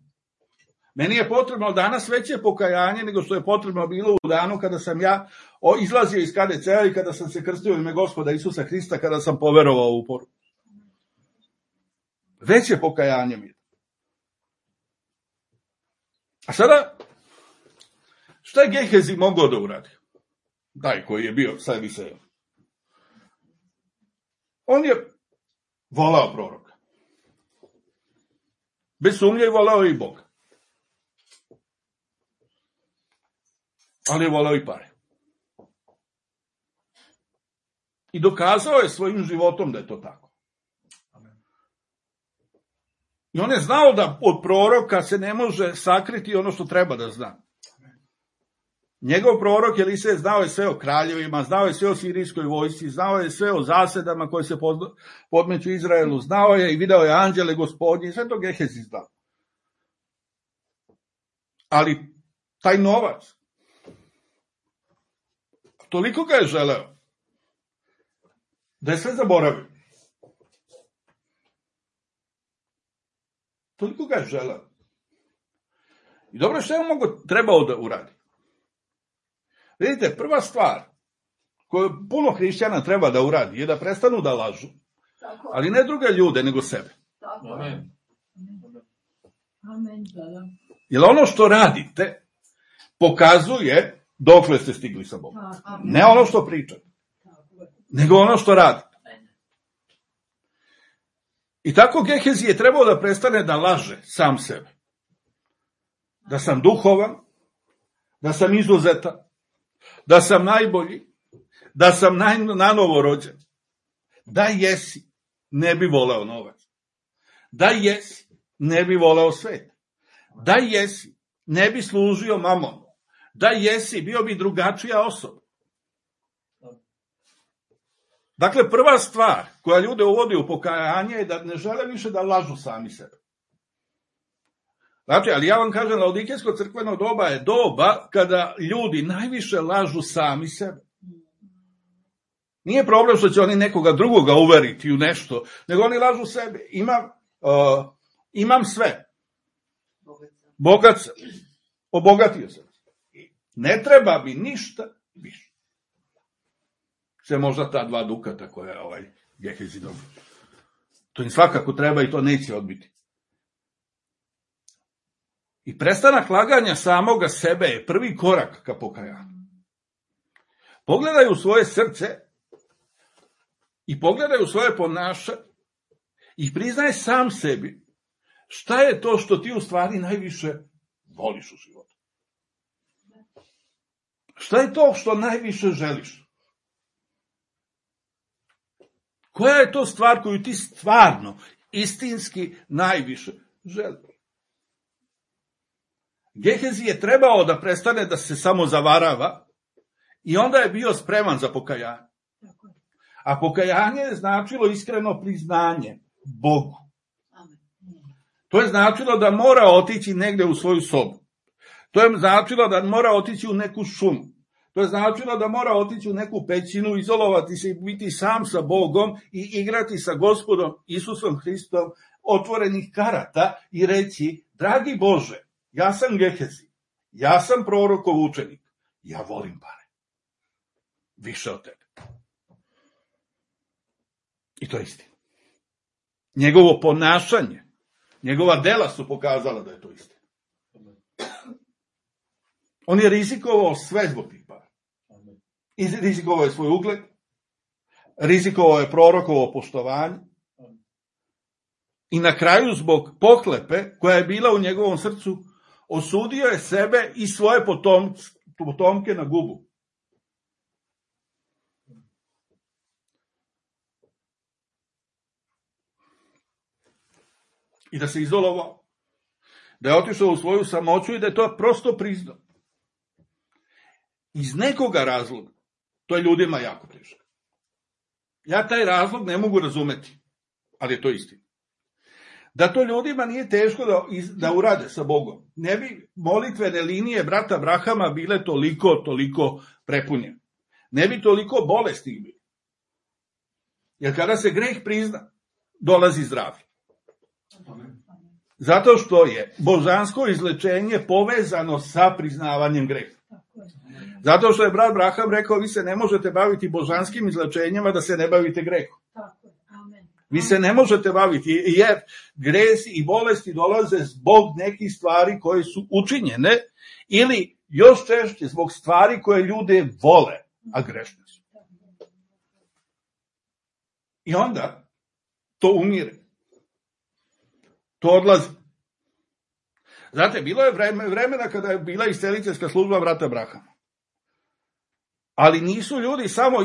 [SPEAKER 1] meni je potrebno danas veće pokajanje nego što je potrebno bilo u danu kada sam ja izlazio iz KDC-a i kada sam se krstio u ime Gospoda Isusa Hrista, kada sam poverovao u poruku. Veće pokajanje mi je. A sada, šta je Gehezi mogao da uradi? Taj koji je bio sa Elisejom. On je volao proroka. Bez sumnje je volao i Boga. Ali je volao i pare. I dokazao je svojim životom da je to tako. I on je znao da od proroka se ne može sakriti ono što treba da zna. Njegov prorok Elisej znao je sve o kraljevima, znao je sve o sirijskoj vojsci, znao je sve o zasedama koje se podmeću Izraelu, znao je i video je anđele Gospodnje, sve to Gehezi znao. Ali taj novac, toliko ga je želeo, da je sve zaboravio. Toliko ga je želeo. I dobro, što je trebao da uradi? Vidite, prva stvar koju puno hrišćana treba da uradi je da prestanu da lažu. Ali ne druge ljude, nego sebe.
[SPEAKER 2] Amen.
[SPEAKER 1] Jer ono što radite pokazuje dokle ste stigli sa Bogom. Ne ono što pričate, nego ono što radite. I tako Gehezi je trebao da prestane da laže sam sebe. Da sam duhovan, da sam izuzetan, da sam najbolji, da sam nanovo rođen. Da jesi, ne bi voleo novac. Da jesi, ne bi voleo svet. Da jesi, ne bi služio mamonu. Da jesi, bio bi drugačija osoba. Dakle, prva stvar koja ljude uvodi u pokajanje je da ne žele više da lažu sami sebe. Znači, ali ja vam kažem, Laodikejsko crkveno doba je doba kada ljudi najviše lažu sami sebe. Nije problem što će oni nekoga drugoga uveriti u nešto, nego oni lažu sebe. Imam sve. Bogat sam. Obogatio sam. Ne treba mi ništa više. Sve možda ta 2 dukata koja je Gehezi dobio. To im svakako treba i to neće odbiti. I prestanak laganja samoga sebe je prvi korak ka pokajanju. Pogledaj u svoje srce i pogledaj u svoje ponašanje i priznaj sam sebi šta je to što ti u stvari najviše voliš u životu. Šta je to što najviše želiš? Koja je to stvar koju ti stvarno, istinski najviše želiš? Gehezi je trebao da prestane da se samo zavarava i onda je bio spreman za pokajanje. A pokajanje je značilo iskreno priznanje Bogu. To je značilo da mora otići negde u svoju sobu. To je značilo da mora otići u neku šumu. To je značilo da mora otići u neku pećinu, izolovati se i biti sam sa Bogom i igrati sa Gospodom Isusom Hristom otvorenih karata i reći: dragi Bože, ja sam Gehezi, ja sam prorokov učenik, ja volim pare. Više od tebe. I to je istina. Njegovo ponašanje, njegova dela su pokazala da je to istina. On je rizikovao sve zbog tih para. I rizikovao je svoj ugled, rizikovao je prorokovo poštovanje i na kraju zbog pohlepe koja je bila u njegovom srcu osudio je sebe i svoje potomke na gubu. I da se izolovao, da je otišao u svoju samoću i da je to prosto priznao. Iz nekoga razloga, to je ljudima jako teško. Ja taj razlog ne mogu razumeti, ali je to istina. Da to ljudima nije teško da urade sa Bogom. Ne bi molitvene linije brata Abrahama bile toliko prepunjene. Ne bi toliko bolesti bili. Jer kada se greh prizna, dolazi zdravlje. Zato što je božansko izlečenje povezano sa priznavanjem greha. Zato što je brat Abraham rekao, vi se ne možete baviti božanskim izlečenjima da se ne bavite grehom. Vi se ne možete baviti, jer gresi i bolesti dolaze zbog nekih stvari koje su učinjene ili još češće zbog stvari koje ljude vole, a grešne su. I onda to umire. To odlazi. Znate, bilo je vremena kada je bila isceliteljska služba brata Abrahama. Ali nisu ljudi samo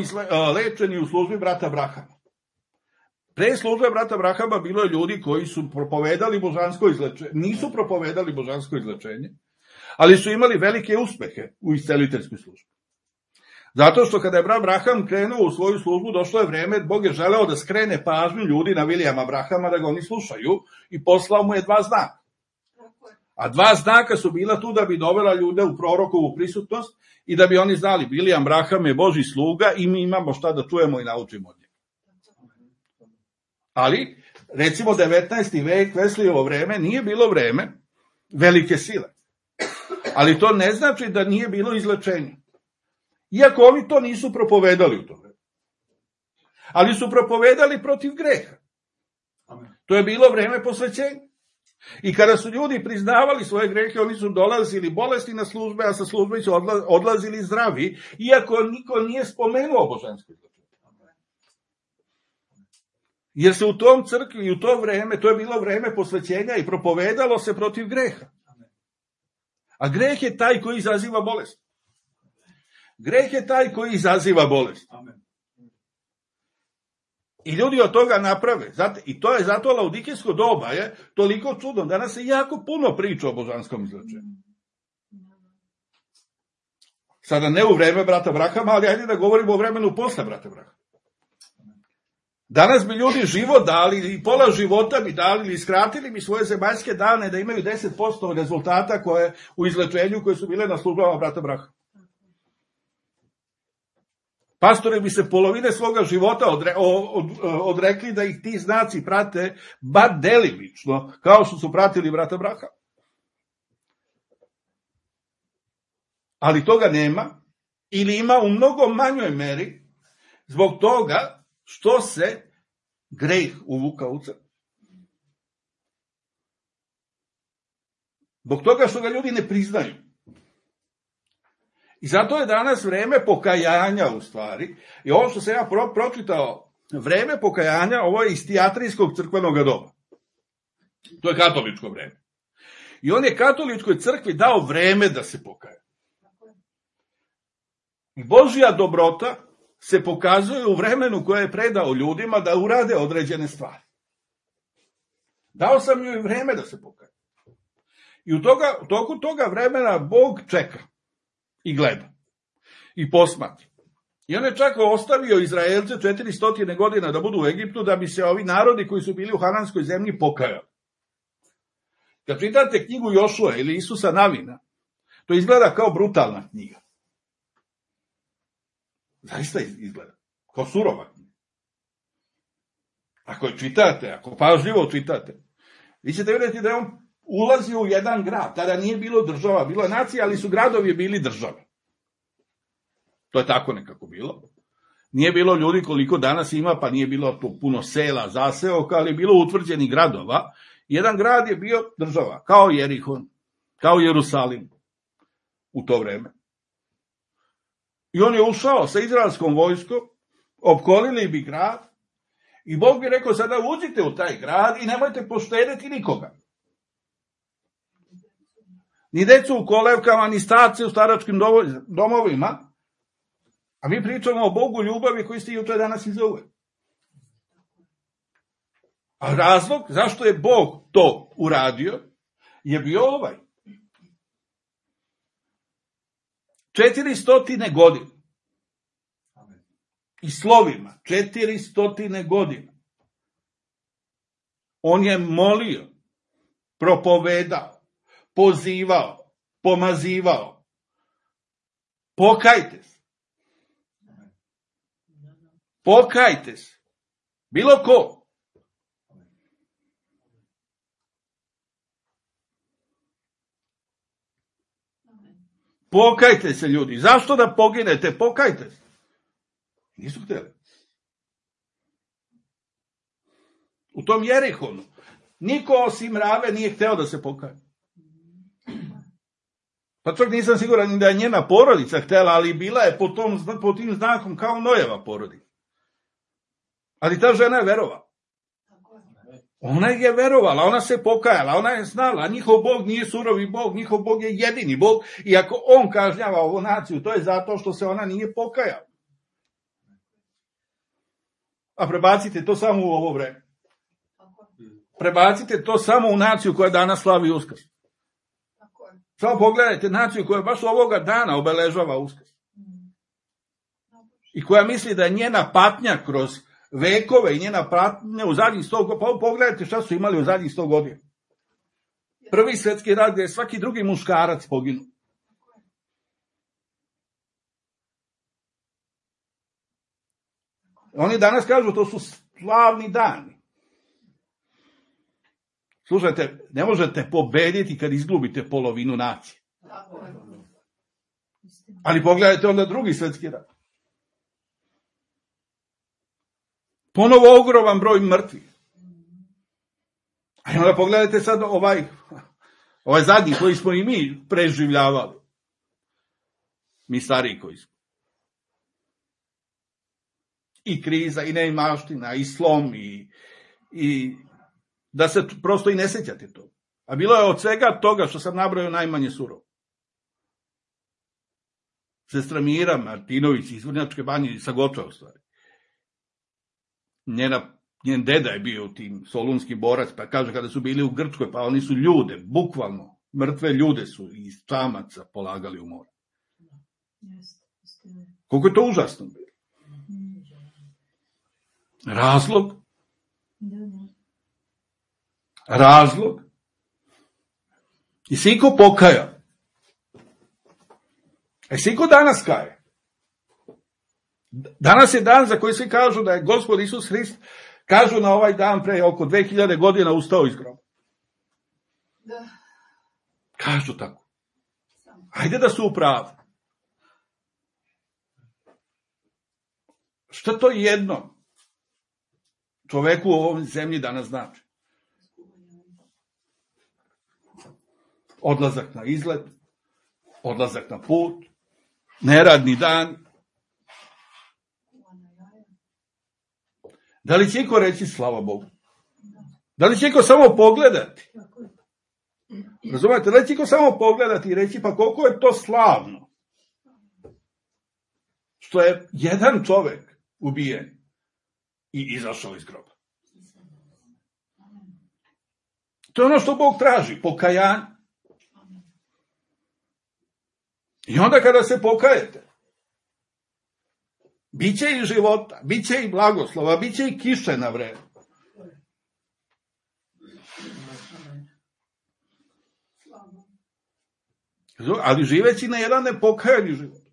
[SPEAKER 1] lečeni u službi brata Abrahama. Pre službe brata Abrahama bilo je ljudi koji su propovedali božansko izlečenje. Nisu propovedali božansko izlečenje, ali su imali velike uspehe u isceliteljskoj službi. Zato što kada je brat Abraham krenuo u svoju službu, došlo je vreme, Bog je želeo da skrene pažnju ljudi na Vilijama Abrahama, da ga oni slušaju, i poslao mu je 2 znaka. A 2 znaka su bila tu da bi dovela ljude u prorokovu prisutnost i da bi oni znali, Vilijam Abraham je Božji sluga i mi imamo šta da čujemo i naučimo od njega. Ali, recimo 19. vek, Veslijevo vreme, nije bilo vreme velike sile. Ali to ne znači da nije bilo izlečenja. Iako oni to nisu propovedali u to vreme. Ali su propovedali protiv greha. To je bilo vreme posvećenja. I kada su ljudi priznavali svoje grehe, oni su dolazili bolesti na službe, a sa službe su odlazili zdravi, iako niko nije spomenuo božansko izlečenje. Jer se u tom crkvi i u to vreme, to je bilo vreme posvećenja i propovedalo se protiv greha. A greh je taj koji izaziva bolest. Greh je taj koji izaziva bolest. I ljudi od toga naprave. I to je zato laudikijsko doba je toliko čudno. Danas se jako puno priča o božanskom izlečenju. Sada ne u vreme brata Abrahama, ali ajde da govorimo o vremenu posle brata Abrahama. Danas bi ljudi život dali i pola života bi dali ili skratili bi svoje zemaljske dane da imaju 10% rezultata koje u izlečenju koje su bile na službama brata Abrahama. Pastori bi se polovine svoga života odrekli da ih ti znaci prate bar delimično, kao što su pratili brata Abrahama. Ali toga nema, ili ima u mnogo manjoj meri, zbog toga što se greh uvukao u crkvu. Zbog toga što ga ljudi ne priznaju. I zato je danas vreme pokajanja u stvari. I ovo što sam ja pročitao, vreme pokajanja, ovo je iz tijatrijskog crkvenog doba. To je katoličko vreme. I on je katoličkoj crkvi dao vreme da se pokaje. I Božja dobrota se pokazuje u vremenu koje je predao ljudima da urade određene stvari. Dao sam joj vreme da se pokaje. I u toku toga vremena Bog čeka i gleda i posmatra. I on je čak ostavio Izraelce 400 godina da budu u Egiptu da bi se ovi narodi koji su bili u Hananskoj zemlji pokajali. Kad čitate knjigu Jošua ili Isusa Navina, to izgleda kao brutalna knjiga. Zaista izgleda kao surova knjiga. Ako je čitate, ako pažljivo čitate, vi ćete vidjeti da je on ulazio u jedan grad. Tada nije bilo država, bilo je nacija, ali su gradovi bili države. To je tako nekako bilo. Nije bilo ljudi koliko danas ima, pa nije bilo puno sela, zaseoka, ali je bilo utvrđenih gradova. Jedan grad je bio država, kao Jerihon, kao Jerusalim u to vreme. I on je ušao sa izraelskom vojskom, opkolili bi grad i Bog bi rekao sada uđite u taj grad i nemojte poštediti nikoga. Ni decu u kolevkama, ni starce u staračkim domovima, a mi pričamo o Bogu ljubavi koji ste juče danas i zove. A razlog zašto je Bog to uradio je bio ovaj. 400 godina. I slovima, 400 godina. On je molio, propovedao, pozivao, pomazivao. Pokajte se. Pokajte se. Bilo ko. Pokajte se, ljudi. Zašto da poginete? Pokajte se. Nisu htjeli. U tom Jerihonu niko osim Rave nije hteo da se pokaje. Pa čak nisam siguran da je njena porodica htjela, ali bila je po tim znakom kao Nojeva porodica. Ali ta žena je verovala. Ona je verovala, ona se pokajala, ona je znala, njihov Bog nije surovi Bog, njihov Bog je jedini Bog, i ako on kažnjava ovu naciju, to je zato što se ona nije pokajala. A prebacite to samo u ovo vreme. Prebacite to samo u naciju koja danas slavi Uskrs. Samo pogledajte naciju koja baš ovoga dana obeležava Uskrs. I koja misli da je njena patnja kroz vekove i njena patnja u zadnjih 100 godina. Pa pogledajte šta su imali u zadnjih 100 godina. Prvi svjetski rat gdje je svaki drugi muškarac poginuo. Oni danas kažu to su slavni dani. Slušajte, ne možete pobediti kad izgubite polovinu nacije. Ali pogledajte onda drugi svjetski rat. Ponovo ogroman broj mrtvih. A onda pogledajte sad ovaj zadnji koji smo i mi preživljavali. Mi stariji koji smo. I kriza, i neimaština, i slom, i da se prosto i ne sjećate to. A bilo je od svega toga što sam nabrojao najmanje surovo. Sestra Mira Martinović iz Vrnjačke Banje, sa Goča u stvari. Njen deda je bio u tim solunski borac, pa kaže kada su bili u Grčkoj, pa oni su ljude, bukvalno, mrtve ljude su iz čamaca polagali u more. Koliko je to užasno bilo. Razlog. I si ko pokaja. I si ko danas kaje. Danas je dan za koji svi kažu da je Gospod Isus Hrist, kažu na ovaj dan pre oko 2000 godina ustao iz groba. Kažu tako. Ajde da su u pravu. Šta to jedno čoveku u ovom zemlji danas znači? Odlazak na izlet, odlazak na put, neradni dan. Da li će iko reći slava Bogu? Da li će iko samo pogledati? Razumete, da li će iko samo pogledati i reći pa koliko je to slavno? Što je jedan čovek ubijen i izašao iz groba. To je ono što Bog traži, pokajanje. I onda kada se pokajete, bit će i života, bit će i blagoslova, bit će i kiše na vreme. Ali živeći na jedan nepokajani život.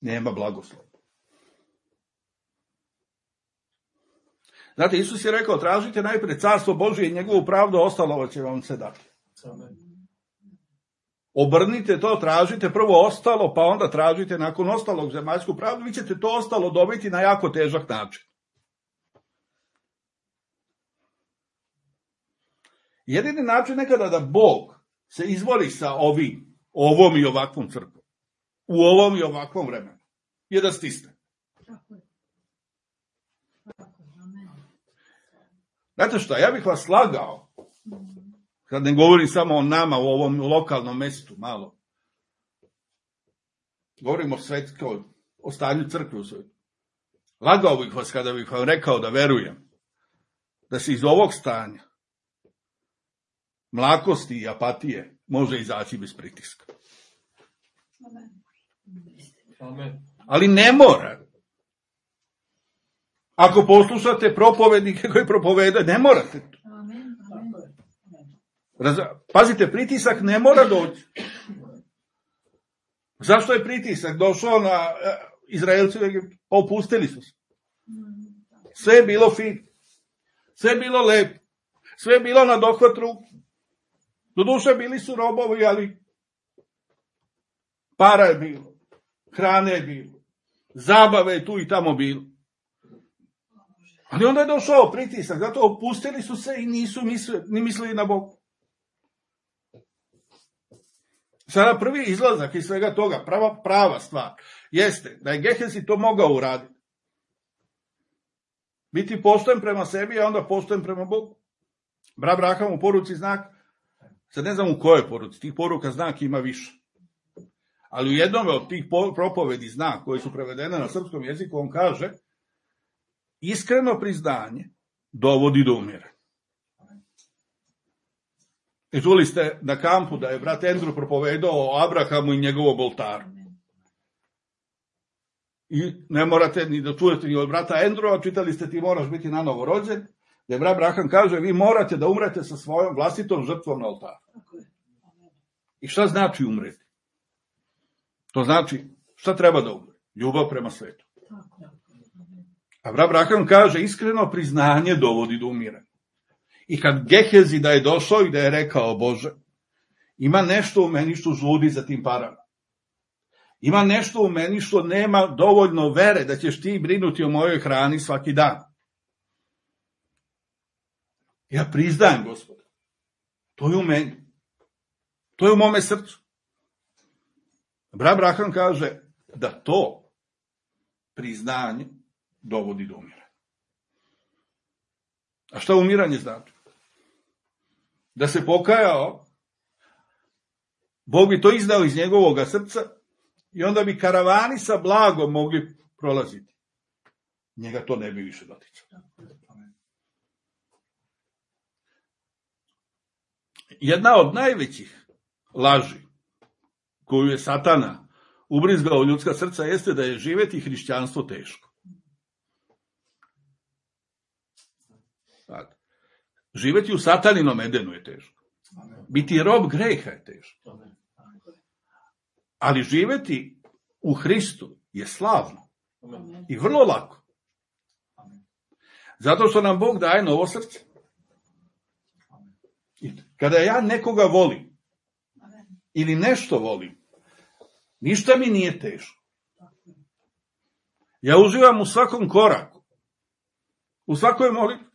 [SPEAKER 1] Nema blagoslova. Znate, Isus je rekao, tražite najprije carstvo Božije i njegovu pravdu, ostalo će vam se dati. Obrnite to, tražite prvo ostalo, pa onda tražite nakon ostalog zemaljsku pravdu, vi ćete to ostalo dobiti na jako težak način. Jedini način nekada da Bog se izbori sa ovom i ovakvom crkvom, u ovom i ovakvom vremenu, je da stisne. Znate šta, ja bih vas slagao, kad ne govorim samo o nama u ovom lokalnom mjestu, malo. Govorim o stanju crkve u svijetu. Lagao bih vas kada bih vam rekao da verujem da se iz ovog stanja mlakosti i apatije može izaći bez pritiska.
[SPEAKER 3] Amen.
[SPEAKER 1] Ali ne mora. Ako poslušate propovednike koji propovedaju, ne morate. Pazite, pritisak ne mora doći. Zašto je pritisak došao na Izraelci? Opustili su se. Sve je bilo fino. Sve je bilo lepo. Sve je bilo na dohvat ruku. Doduše bili su robovi, ali para je bilo. Hrane je bilo. Zabave je tu i tamo bilo. Ali onda je došao pritisak, zato opustili su se i nisu ni mislili na Bog. Sada prvi izlazak iz svega toga, prava stvar, jeste da je Gehazi to mogao uraditi. Biti pošten prema sebi, a onda pošten prema Bogu. Abraham u poruci znak, sad ne znam u kojoj poruci, tih poruka znak ima više. Ali u jednom od tih propovedi znak koji su prevedene na srpskom jeziku, on kaže, iskreno priznanje dovodi do umiranja. I čuli ste na kampu da je brat Andrew propovedao o Abrahamu i njegovom oltaru. I ne morate ni da čujete ni od brata Andrewa, čitali ste ti moraš biti na novo rođen, gdje brat Abraham kaže vi morate da umrete sa svojom vlastitom žrtvom na oltaru. I šta znači umreti? To znači šta treba da umre? Ljubav prema svetu. A brat Abraham kaže iskreno priznanje dovodi do umiranja. I kad Gehazi da je došao i da je rekao Bože, ima nešto u meni što žudi za tim parama. Ima nešto u meni što nema dovoljno vere da ćeš ti brinuti o mojoj hrani svaki dan. Ja priznajem, Gospode. To je u meni. To je u mome srcu. Brat Abraham kaže da to priznanje dovodi do umiranja. A šta umiranje znači? Da se pokajao, Bog bi to izdao iz njegovog srca i onda bi karavani sa blagom mogli prolaziti. Njega to ne bi više doticalo. Jedna od najvećih laži koju je Satana ubrizgao u ljudska srca jeste da je živjeti hrišćanstvo teško. Živjeti u Sataninom Edenu je teško. Biti rob greha je teško. Ali živjeti u Hristu je slavno. I vrlo lako. Zato što nam Bog daje novo srce. I kada ja nekoga volim, ili nešto volim, ništa mi nije teško. Ja uživam u svakom koraku. U svakoj molitvi.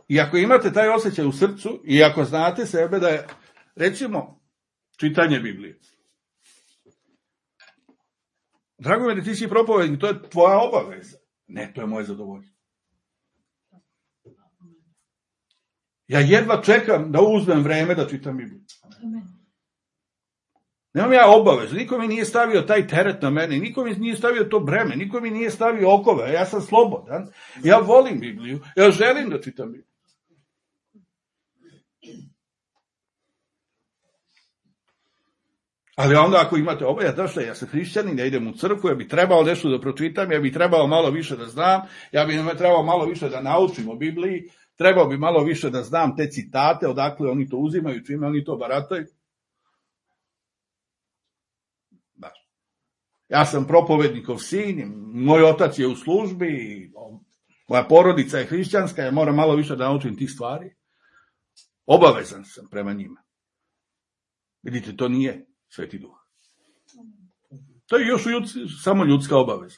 [SPEAKER 1] I ako imate taj osjećaj u srcu, i ako znate sebe da je, recimo, čitanje Biblije. Drago mi da ti si propovednik, to je tvoja obaveza. Ne, to je moje zadovoljstvo. Ja jedva čekam da uzmem vreme da čitam Bibliju. Nemam ja obavezu, niko mi nije stavio taj teret na mene, niko mi nije stavio to breme, niko mi nije stavio okove, ja sam slobodan, ja volim Bibliju, ja želim da čitam Bibliju. Ali onda ako imate obavezu, ja sam hrišćanin, ja idem u crkvu, ja bi trebao nešto da pročitam, ja bi trebao malo više da znam, ja bi trebao malo više da naučim o Bibliji, trebao bi malo više da znam te citate, odakle oni to uzimaju, čime oni to barataju. Da. Ja sam propovednikov sin, moj otac je u službi, moja porodica je hrišćanska, ja moram malo više da naučim tih stvari. Obavezan sam prema njima. Vidite, to nije Sveti Duh. To je još samo ljudska obaveza.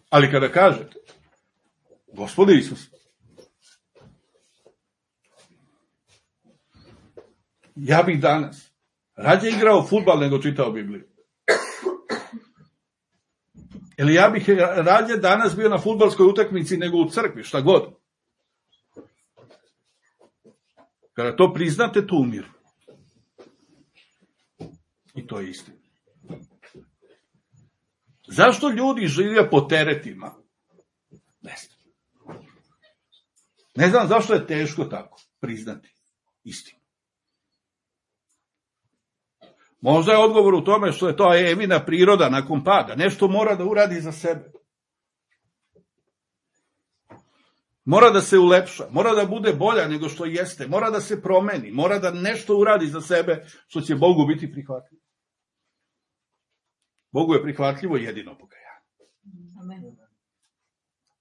[SPEAKER 1] Ali kada kažete, Gospode Isus, ja bih danas rađe igrao fudbal nego čitao Bibliju. Ili ja bih rađe danas bio na fudbalskoj utakmici nego u crkvi, šta god. Kada to priznate, to umiru. I to je istina. Zašto ljudi žive po teretima? Ne znam. Ne znam zašto je teško tako priznati istinu. Možda je odgovor u tome što je to Evina priroda nakon pada. Nešto mora da uradi za sebe. Mora da se ulepša, mora da bude bolja nego što jeste, mora da se promeni, mora da nešto uradi za sebe što će Bogu biti prihvatljivo. Bogu je prihvatljivo jedino pokajanje.
[SPEAKER 2] Amen.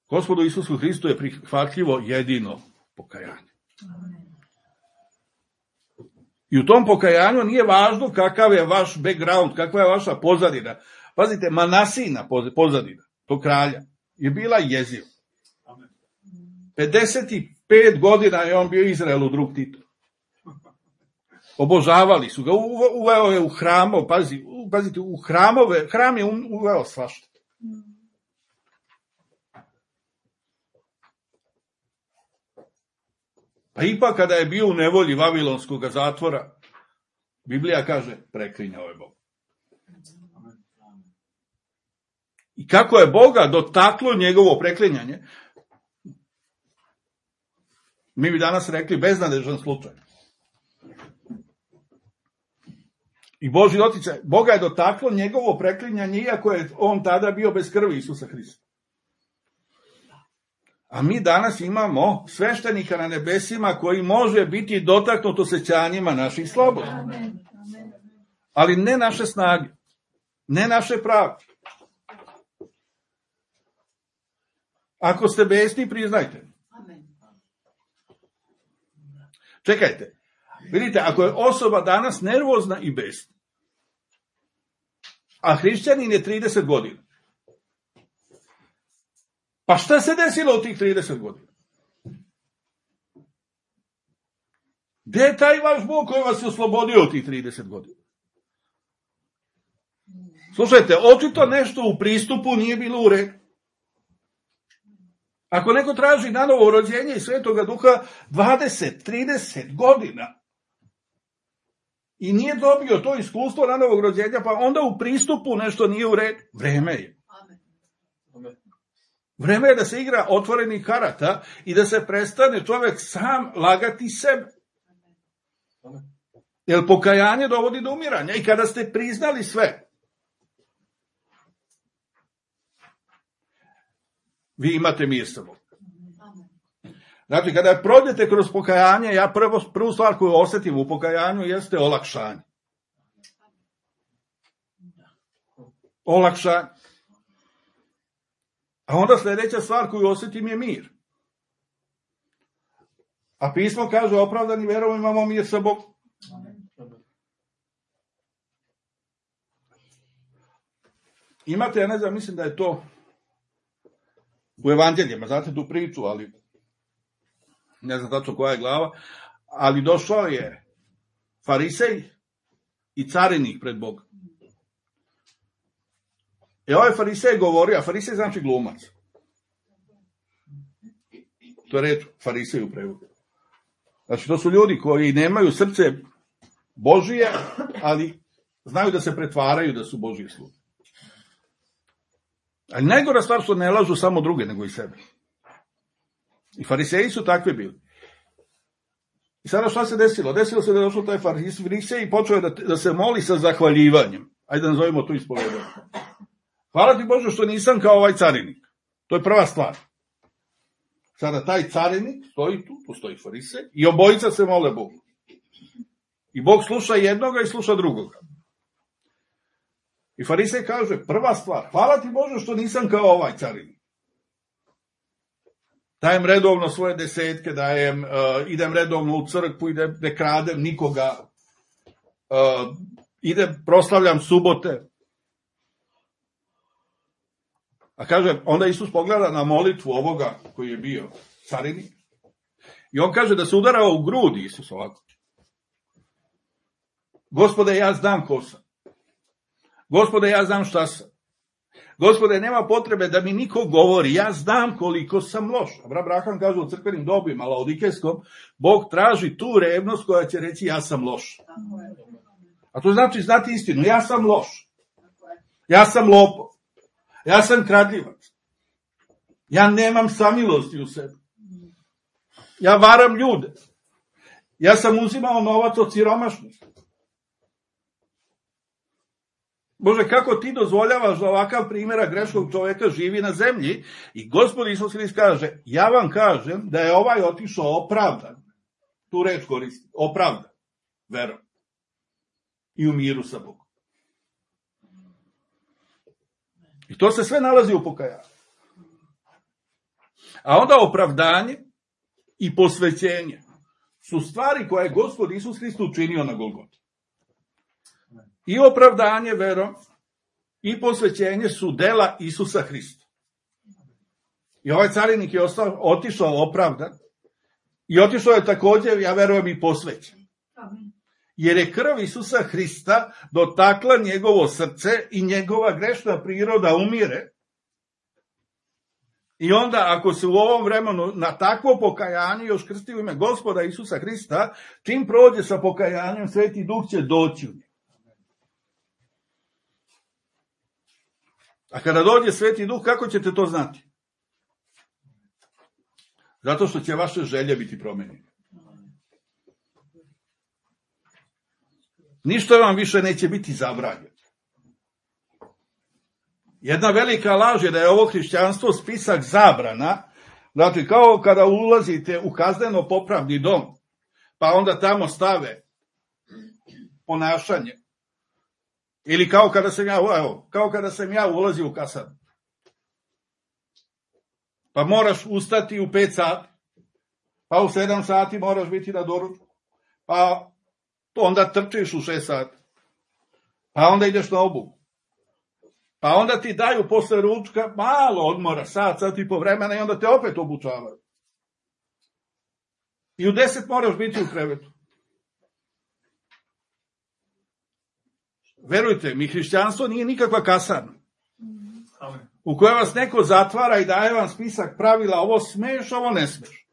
[SPEAKER 1] Gospodu Isusu Hristu je prihvatljivo jedino pokajanje.
[SPEAKER 2] Amen.
[SPEAKER 1] I u tom pokajanju nije važno kakav je vaš background, kakva je vaša pozadina. Pazite, Manasina pozadina, tog kralja, je bila jeziva. 55 godina je on bio Izraelu drug Tito. Obožavali su ga, uveo je u hramov, pazite, u hramove, hram je uveo svašta. Pa ipak kada je bio u nevolji Vavilonskog zatvora, Biblija kaže, preklinjao je Bog. I kako je Boga dotaklo njegovo preklinjanje, mi bi danas rekli beznadežan slučaj. I Božji doticaj, Boga je dotaklo njegovo preklinjanje, iako je on tada bio bez krvi Isusa Hrista. A mi danas imamo sveštenika na nebesima koji može biti dotaknut osjećanjima naših sloboda. Ali ne naše snage, ne naše prave. Ako ste besni, priznajte. Čekajte, vidite, ako je osoba danas nervozna i besna, a hrišćanin je 30 godina, pa šta se desilo u tih 30 godina? Gde je taj vaš Bog koji vas je oslobodio u tih 30 godina? Slušajte, očito nešto u pristupu nije bilo u redu. Ako neko traži nanovo rođenje i Svetoga Duha 20, 30 godina i nije dobio to iskustvo nanovog rođenja, pa onda u pristupu nešto nije u redu. Vreme je. Vreme je da se igra otvorenih karata i da se prestane čovjek sam lagati sebe. Jer pokajanje dovodi do umiranja. I kada ste priznali sve, vi imate mir sa Bogom. Znači, kada prođete kroz pokajanje, ja prvu stvar koju osjetim u pokajanju jeste olakšanje. Olakšanje. A onda sljedeća stvar koju osjetim je mir. A pismo kaže, opravdani verom imamo mir sa Bogom. Imate, ja ne znam, mislim da je to u evanđeljima, znate tu priču, ali ne znam tačno koja je glava, ali došao je farisej i carinik pred Boga. Ovaj farisej govori, a farisej znači glumac. To je reč farisej u prevodu. Znači, to su ljudi koji nemaju srce Božije, ali znaju da se pretvaraju da su Božji sluge. Ali najgora stvar što ne lažu samo druge, nego i sebe. I fariseji su takvi bili. I sada šta se desilo? Desilo se da je došao taj farisej i počeo da se moli sa zahvaljivanjem. Ajde da nazovemo to ispovedanje. Hvala ti Bože što nisam kao ovaj carinik. To je prva stvar. Sada taj carinik stoji tu stoji farisej i obojica se mole Bogu. I Bog sluša jednoga i sluša drugoga. I farisej kaže, prva stvar, hvala ti Bože što nisam kao ovaj carinik. Dajem redovno svoje desetke, idem redovno u crkvu, ne kradem nikoga, proslavljam subote. A kaže, onda Isus pogleda na molitvu ovoga koji je bio carinik. I on kaže da se udarao u grudi Isus ovako. Gospode, ja znam ko sam. Gospode, ja znam šta sam. Gospode, nema potrebe da mi niko govori, ja znam koliko sam loš. Abraham kaže u crkvenim dobima, laodikejskom, Bog traži tu revnost koja će reći ja sam loš. A to znači znati istinu, ja sam loš. Ja sam lopov. Ja sam kradljivac. Ja nemam samilosti u sebi. Ja varam ljude. Ja sam uzimao novac od siromašnih. Bože, kako ti dozvoljavaš da ovakav primjera greškog čovjeka živi na zemlji? I Gospod Isus Hrist kaže, ja vam kažem da je ovaj otišao opravdan. Tu reč koristi, opravdan, verom. I u miru sa Bogom. I to se sve nalazi u pokajanju. A onda opravdanje i posvećenje su stvari koje je Gospod Isus Hrist učinio na Golgoti. I opravdanje verom i posvećenje su dela Isusa Hrista. I ovaj carinik je otišao opravdan i otišao je također, ja verujem, i posvećen. Jer je krv Isusa Hrista dotakla njegovo srce i njegova grešna priroda umire. I onda, ako se u ovom vremenu na takvo pokajanje još krsti u ime Gospoda Isusa Hrista, čim prođe sa pokajanjem, Sveti Duh će doći u njega. A kada dođe Sveti Duh, kako ćete to znati? Zato što će vaše želje biti promenjene. Ništa vam više neće biti zabranjeno. Jedna velika laž je da je ovo hrišćanstvo spisak zabrana, znači kao kada ulazite u kazneno popravni dom, pa onda tamo stave ponašanje. Ili kao kada sam ja ulazio u kasarnu. Pa moraš ustati u 5 sati, pa u 7 sati moraš biti na doručku, pa onda trčiš u 6 sati, pa onda ideš na obuku. Pa onda ti daju posle ručka malo odmora, sat i po vremena i onda te opet obučavaju. I u 10 moraš biti u krevetu. Verujte mi, hrišćanstvo nije nikakva kasarna u kojoj vas neko zatvara i daje vam spisak pravila, ovo smeš, ovo ne smeš.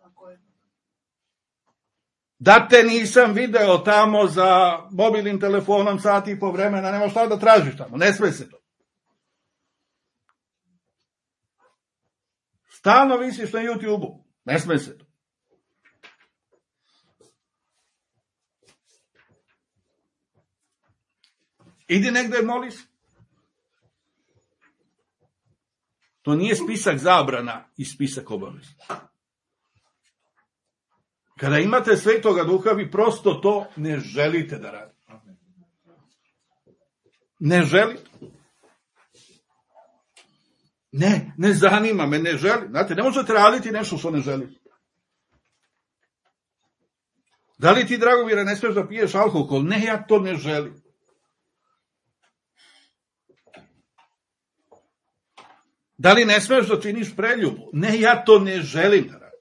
[SPEAKER 1] Da te nisam video tamo za mobilnim telefonom sati i po vremena, nema šta da tražiš tamo, ne sme se to. Stalno visiš na YouTube-u, ne sme se to. Idi negde moli se. To nije spisak zabrana i spisak obaveza. Kada imate Svetoga Duha, vi prosto to ne želite da radite. Ne želite. Ne zanima me, ne želim. Znate, ne možete raditi nešto što ne želite. Da li ti, Dragomire, ne smiješ da piješ alkohol? Ne, ja to ne želim. Da li ne smiješ da činiš preljubu? Ne, ja to ne želim da radim.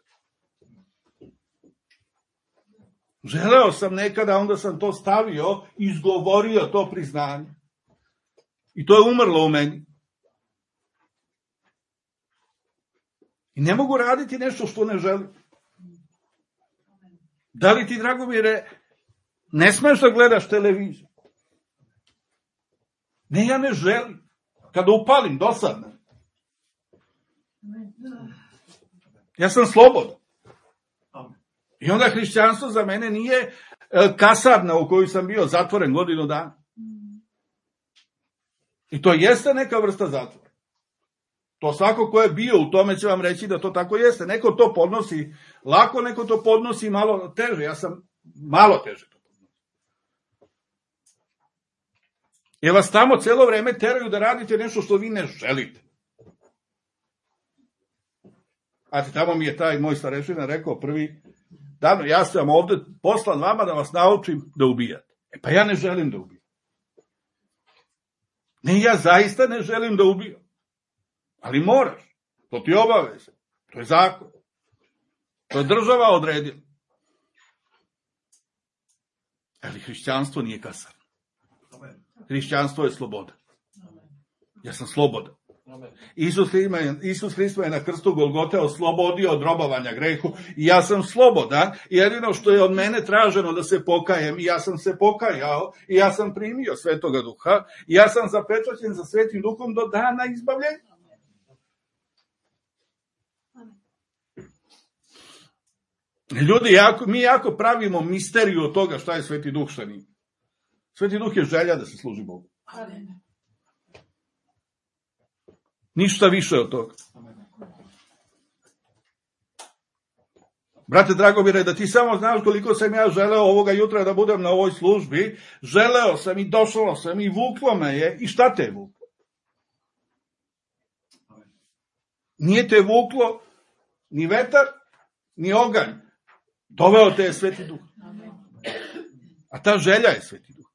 [SPEAKER 1] Želeo sam nekada, onda sam to stavio, izgovorio to priznanje. I to je umrlo u meni. I ne mogu raditi nešto što ne želim. Da li ti, Dragomire, ne smiješ da gledaš televiziju? Ne, ja ne želim. Kada upalim, dosadno. Ja sam slobodan. I onda hrišćanstvo za mene nije kasarna u kojoj sam bio zatvoren godinu dana. I to jeste neka vrsta zatvora. To svako ko je bio u tome će vam reći da to tako jeste. Neko to podnosi lako, neko to podnosi malo teže. Ja sam malo teže to podnosi. Jer vas tamo celo vreme teraju da radite nešto što vi ne želite. A tamo mi je taj moj starešina rekao prvi dan, ja sam ovde poslan vama da vas naučim da ubijate. Pa ja ne želim da ubijam. Ne, ja zaista ne želim da ubijam. Ali moraš. To ti obaveza. To je zakon. To je država odredila. Ali hrišćanstvo nije kasarno. Hrišćanstvo je sloboda. Ja sam slobodan. Isus Hrist me na krstu Golgote oslobodio od robovanja grehu i ja sam slobodan. Jedino što je od mene traženo da se pokajem i ja sam se pokajao i ja sam primio Svetoga Duha i ja sam zapečaćen sa Svetim Duhom do dana izbavljenja. Ljudi, mi jako pravimo misteriju od toga šta je Sveti Duh, šta nije. Sveti Duh je želja da se služi Bogu. Ništa više od toga. Brate Dragomire, da ti samo znaš koliko sam ja želeo ovoga jutra da budem na ovoj službi, želeo sam i došao sam i vuklo me je, i šta te je vuklo? Nije te vuklo ni vetar, ni oganj. Doveo te je Sveti Duh. A ta želja je Sveti Duh.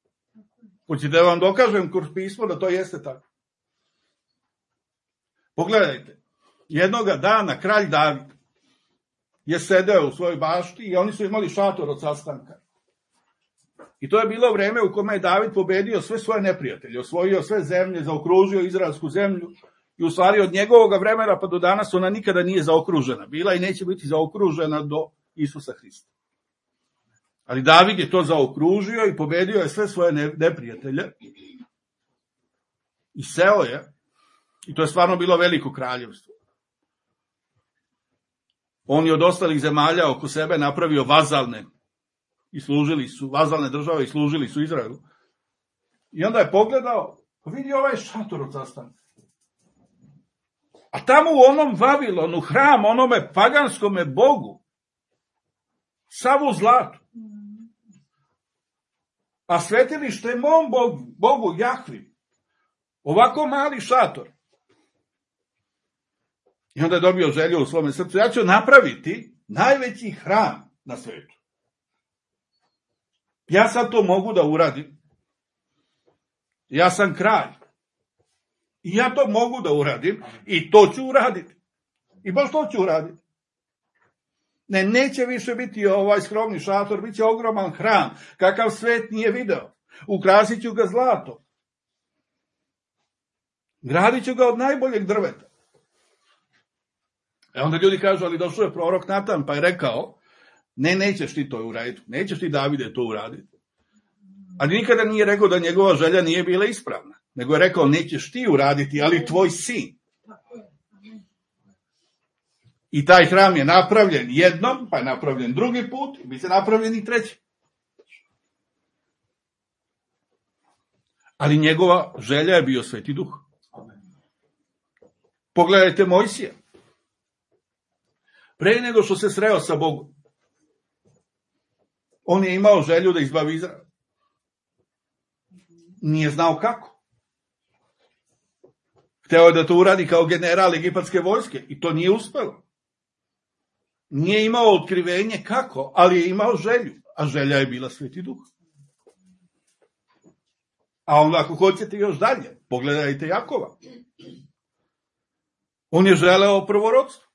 [SPEAKER 1] Hoćete da vam dokažem kroz pismo da to jeste tako. Pogledajte, jednoga dana kralj David je sedeo u svojoj bašti i oni su imali šator od sastanka. I to je bilo vreme u kome je David pobedio sve svoje neprijatelje, osvojio sve zemlje, zaokružio izraelsku zemlju i u stvari od njegovog vremena pa do danas ona nikada nije zaokružena. Bila i neće biti zaokružena do Isusa Hrista. Ali David je to zaokružio i pobedio je sve svoje neprijatelje i seo je, i to je stvarno bilo veliko kraljevstvo. On je od ostalih zemalja oko sebe napravio vazalne i služili su, vazalne države i služili su Izraelu. I onda je pogledao, vidi ovaj šator od sastanka. A tamo u onom Vavilonu, hram, onome paganskome bogu, sav u zlatu. A svetilište je mom bogu Jahvi. Ovako mali šator. I onda je dobio želju u svome srcu. Ja ću napraviti najveći hram na svetu. Ja sad to mogu da uradim. Ja sam kralj. I ja to mogu da uradim. I to ću uraditi. I baš to ću uraditi. Ne, neće više biti ovaj skromni šator, bit će ogroman hram, kakav svet nije video. Ukrasit ću ga zlatom. Gradit ću ga od najboljeg drveta. E onda ljudi kažu, ali došao je prorok Natan, pa je rekao, ne, nećeš ti to uraditi, nećeš ti Davide to uraditi. Ali nikada nije rekao da njegova želja nije bila ispravna, nego je rekao, nećeš ti uraditi, ali tvoj sin. I taj hram je napravljen jednom, pa je napravljen drugi put, i bit će napravljen i treći. Ali njegova želja je bio Sveti Duh. Pogledajte Mojsija. Pre nego što se sreo sa Bogom, on je imao želju da izbavi Izrael. Nije znao kako. Hteo je da to uradi kao general egipatske vojske i to nije uspelo. Nije imao otkrivenje kako, ali je imao želju, a želja je bila Sveti Duh. A onda ako hoćete još dalje, pogledajte Jakova. On je želeo prvorodstvo.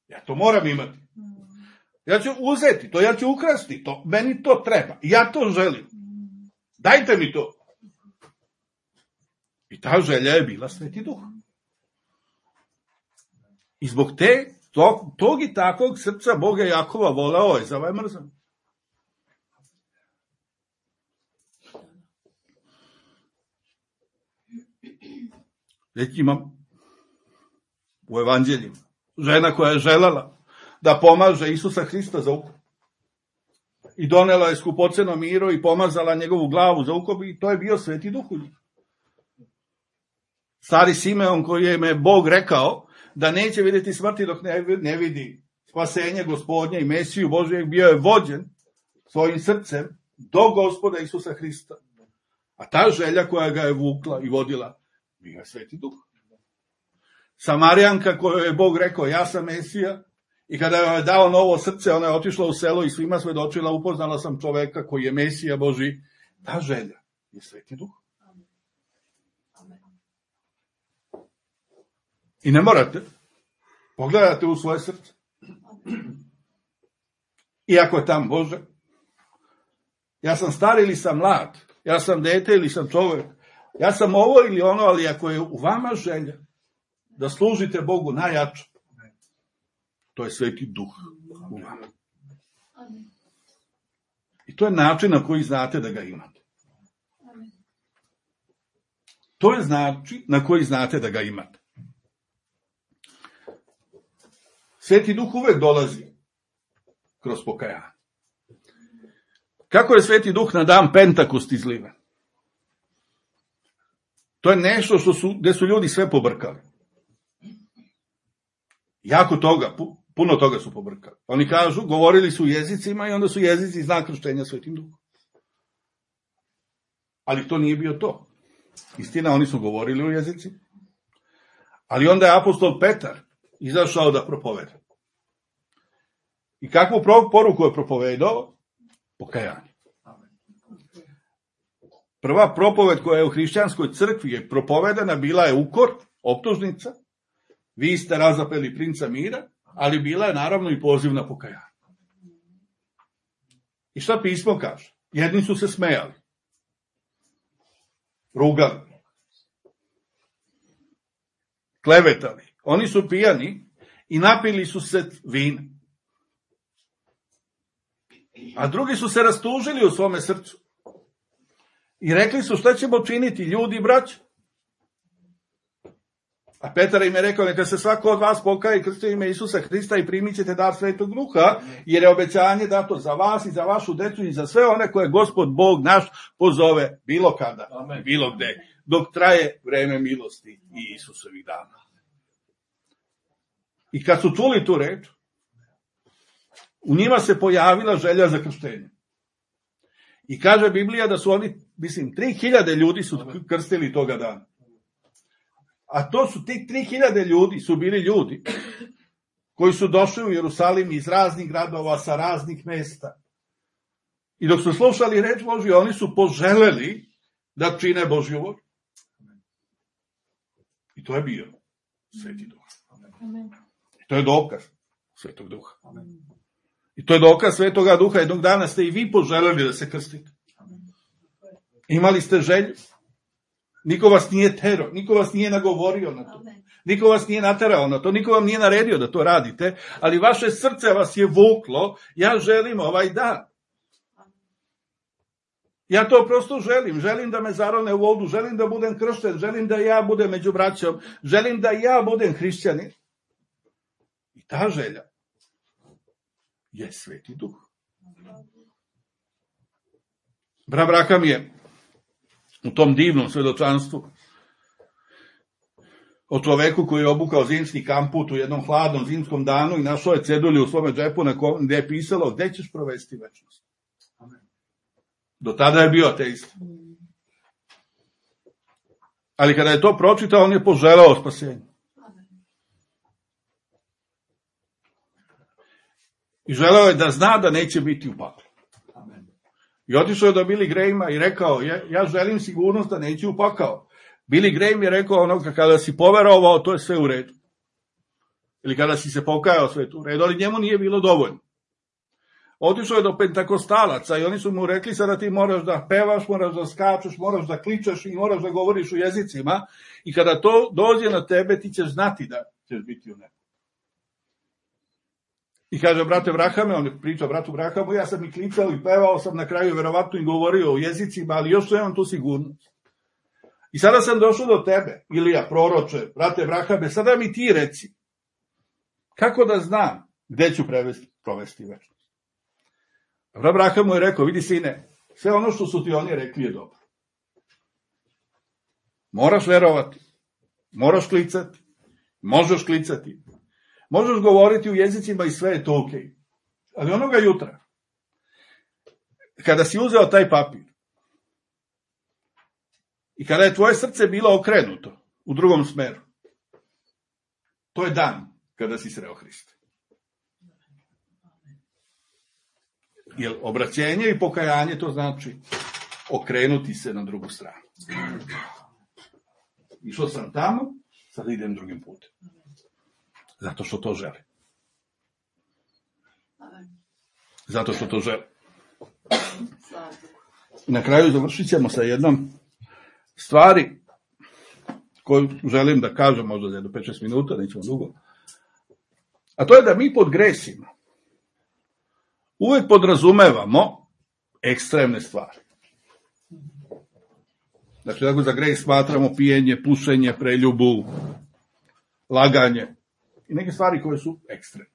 [SPEAKER 1] Ja to moram imati. Ja ću uzeti to, ja ću ukrasti to, meni to treba, ja to želim. Dajte mi to. I ta želja je bila Sveti Duh. I zbog tog i takvog srca Boga Jakova voleo Ezava je mrzao. Već imam u evanđeljima žena koja je želela da pomaže Isusa Hrista za ukop. I donela je skupoceno miro i pomazala njegovu glavu za ukop i to je bio Sveti Duh u njih. Stari Simeon koji je me Bog rekao da neće vidjeti smrti dok ne vidi spasenje Gospodnje i Mesiju Božijeg, bio je vođen svojim srcem do Gospoda Isusa Hrista. A ta želja koja ga je vukla i vodila, bio je Sveti Duh. Samarijanka kojoj je Bog rekao, ja sam Mesija, i kada joj je dao novo srce, ona je otišla u selo i svima svedočila, upoznala sam čoveka koji je Mesija Božji. Ta želja je Sveti Duh. I ne morate, pogledate u svoje srce. Iako je tam Bože, ja sam star ili sam mlad, ja sam dete ili sam čovjek, ja sam ovo ili ono, ali ako je u vama želja da služite Bogu najjače, to je Sveti Duh u vama. I to je način na koji znate da ga imate. To je način na koji znate da ga imate. Sveti Duh uvek dolazi kroz pokajanje. Kako je Sveti Duh na dan Pentakost izliven? To je nešto gde su ljudi sve pobrkali. Jako toga, puno toga su pobrkali. Oni kažu, govorili su jezicima i onda su jezici znak krštenja Svetim Duhom. Ali to nije bio to. Istina, oni su govorili o jezici. Ali onda je apostol Petar izašao da propoveda. I kakvu poruku je propovedao? Pokajanje. Prva propoved koja je u hrišćanskoj crkvi je propovedana, bila je ukor, optužnica. Vi ste razapeli princa mira, ali bila je naravno i poziv na pokajanje. I šta pismo kaže? Jedni su se smejali, rugali, klevetali. Oni su pijani i napili su se vina. A drugi su se rastužili u svome srcu. I rekli su, šta ćemo činiti, ljudi, braći? A Petar im je rekao, neka se svako od vas pokaje i krsti ime Isusa Hrista i primit ćete dar Svetog Duha, jer je obećanje dato za vas i za vašu decu i za sve one koje Gospod Bog naš pozove bilo kada, amen, bilo gde, dok traje vreme milosti i Isusovih dana. I kad su čuli tu reč, u njima se pojavila želja za krštenje. I kaže Biblija da su oni, 3000 ljudi su krstili toga dana. A to su, tih 3000 ljudi su bili ljudi koji su došli u Jerusalim iz raznih gradova, sa raznih mesta. I dok su slušali reč Božju, oni su poželeli da čine Božju volju. I to je bio Sveti Duh. I to je dokaz Svetog Duha. I to je dokaz Svetoga Duha. Jednog dana ste i vi poželeli da se krstite. Imali ste želju. Niko vas nije terao, niko vas nije nagovorio na to. Niko vas nije naterao na to, niko vam nije naredio da to radite, ali vaše srce vas je vuklo, ja želim ovaj dan. Ja to prosto želim da me zarone u vodu, želim da budem kršten, želim da ja budem među braćom, želim da ja budem hrišćanin. I ta želja je Sveti Duh. Brat Braham je u tom divnom svedočanstvu o čoveku koji je obukao zimski kamput u jednom hladnom zimskom danu i našao je cedulju u svome džepu gde je pisalo gde ćeš provesti večnost. Do tada je bio ateista. Ali kada je to pročitao, on je poželao spasenje. I želeo je da zna da neće biti u paklu. I otišao je do Billy Grahama i rekao, ja želim sigurnost da neće u pakao. Billy Graham je rekao, kada si poverovao, to je sve u redu. Ili kada si se pokajao, sve u redu, ali njemu nije bilo dovoljno. Otišao je do pentakostalaca i oni su mu rekli, sada ti moraš da pevaš, moraš da skačeš, moraš da kličeš i moraš da govoriš u jezicima i kada to dođe na tebe, ti ćeš znati da ćeš biti u nebu. I kaže, brate Brahame, on je pričao bratu Brahamu, ja sam i klicao i pevao sam na kraju, verovatno i govorio o jezicima, ali još imam tu sigurnost. I sada sam došao do tebe, Ilija, proroče, brate Brahame, sada mi ti reci, kako da znam gde ću provesti večnost. Brat Braham mu je rekao, vidi sine, sve ono što su ti oni rekli je dobro. Moraš verovati, moraš klicati, možeš klicati, možeš govoriti u jezicima i sve je to okej. Ali onoga jutra, kada si uzeo taj papir i kada je tvoje srce bilo okrenuto u drugom smeru, to je dan kada si sreo Hrista. Jer obraćenje i pokajanje to znači okrenuti se na drugu stranu. Išao sam tamo, sad idem drugim putem. Zato što to želi. Zato što to želi. Na kraju završit ćemo sa jednom stvari koju želim da kažem možda za 5-6 minuta, nećemo dugo. A to je da mi pod gresima uvek podrazumevamo ekstremne stvari. Dakle, ako za greh smatramo pijenje, pušenje, preljubu, laganje i neke stvari koje su ekstremne.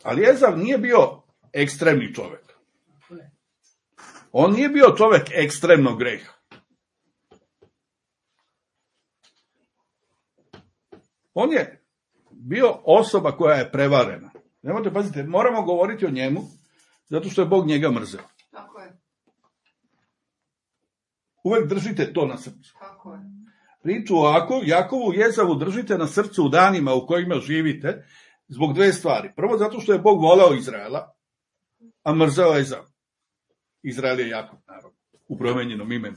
[SPEAKER 1] Ali Ezav nije bio ekstremni čovek. On nije bio čovek ekstremnog greha. On je bio osoba koja je prevarena. Nemojte pazite, moramo govoriti o njemu, zato što je Bog njega mrzeo.
[SPEAKER 2] Tako je.
[SPEAKER 1] Uvek držite to na srcu.
[SPEAKER 2] Tako je.
[SPEAKER 1] Priču o Jakovu i Ezavu držite na srcu u danima u kojima živite, zbog dve stvari. Prvo, zato što je Bog voleo Izraela, a mrzeo Ezav. Izrael je Jakov, naravno, u promenjenom imenu.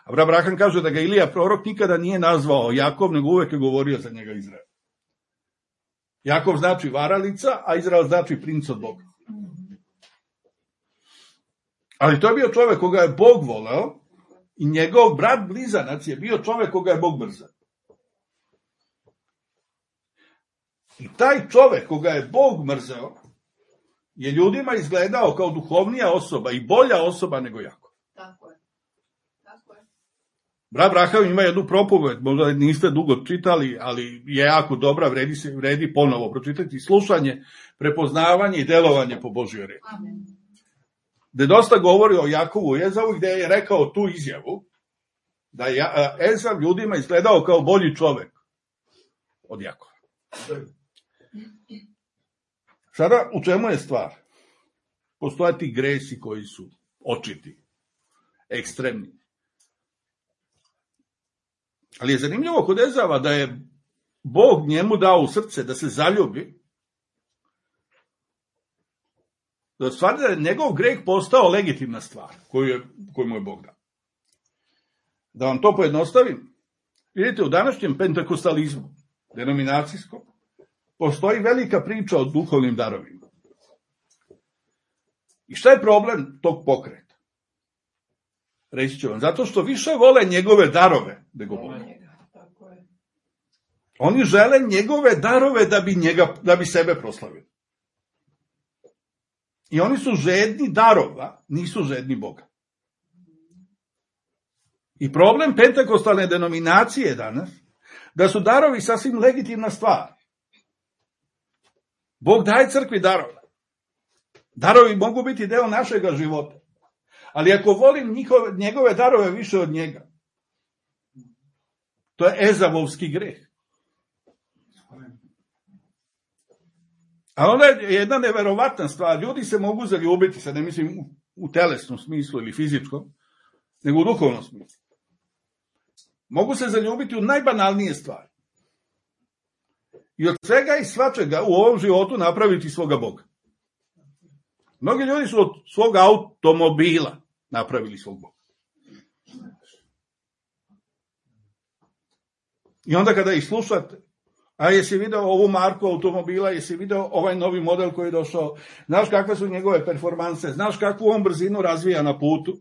[SPEAKER 1] Abraham kaže da ga Ilija prorok nikada nije nazvao Jakov, nego uvek je govorio za njega Izrael. Jakov znači varalica, a Izrael znači princ od Boga. Ali to je bio čovek koga je Bog voleo i njegov brat blizanac je bio čovek koga je Bog mrzeo. I taj čovek koga je Bog mrzeo je ljudima izgledao kao duhovnija osoba i bolja osoba nego Jakov.
[SPEAKER 2] Tako je. Tako je.
[SPEAKER 1] Brat Abraham ima jednu propoved, možda niste dugo čitali, ali je jako dobra, vredi ponovo pročitati, slušanje, prepoznavanje i delovanje po Božjoj reči.
[SPEAKER 2] Amen.
[SPEAKER 1] Gde dosta govori o Jakovu i Ezavu, gde je rekao tu izjavu, da je Ezav ljudima izgledao kao bolji čovek od Jakova. Sada, u čemu je stvar? Postoje ti gresi koji su očiti, ekstremni. Ali je zanimljivo kod Ezava da je Bog njemu dao u srce da se zaljubi, da stvar da je njegov greh postao legitimna stvar koju mu je Bog dao. Da vam to pojednostavim, vidite, u današnjem pentekostalizmu, denominacijskom, postoji velika priča o duhovnim darovima. I šta je problem tog pokreta? Reći ću vam, zato što više vole njegove darove nego Boga. Oni žele njegove darove da bi sebe proslavili. I oni su žedni darova, nisu žedni Boga. I problem pentekostalne denominacije danas, da su darovi sasvim legitimna stvar. Bog daje crkvi darove. Darovi mogu biti deo našega života. Ali ako volim njegove darove više od njega, to je ezavovski greh. A onda je jedna neverovatna stvar. Ljudi se mogu zaljubiti, sad ne mislim u telesnom smislu ili fizičkom, nego u duhovnom smislu. Mogu se zaljubiti u najbanalnije stvari. I od svega i svačega u ovom životu napraviti svoga Boga. Mnogi ljudi su od svog automobila napravili svog Boga. I onda kada ih slušate, a jesi video ovu marku automobila, jesi video ovaj novi model koji je došao, znaš kakve su njegove performanse, znaš kakvu on brzinu razvija na putu,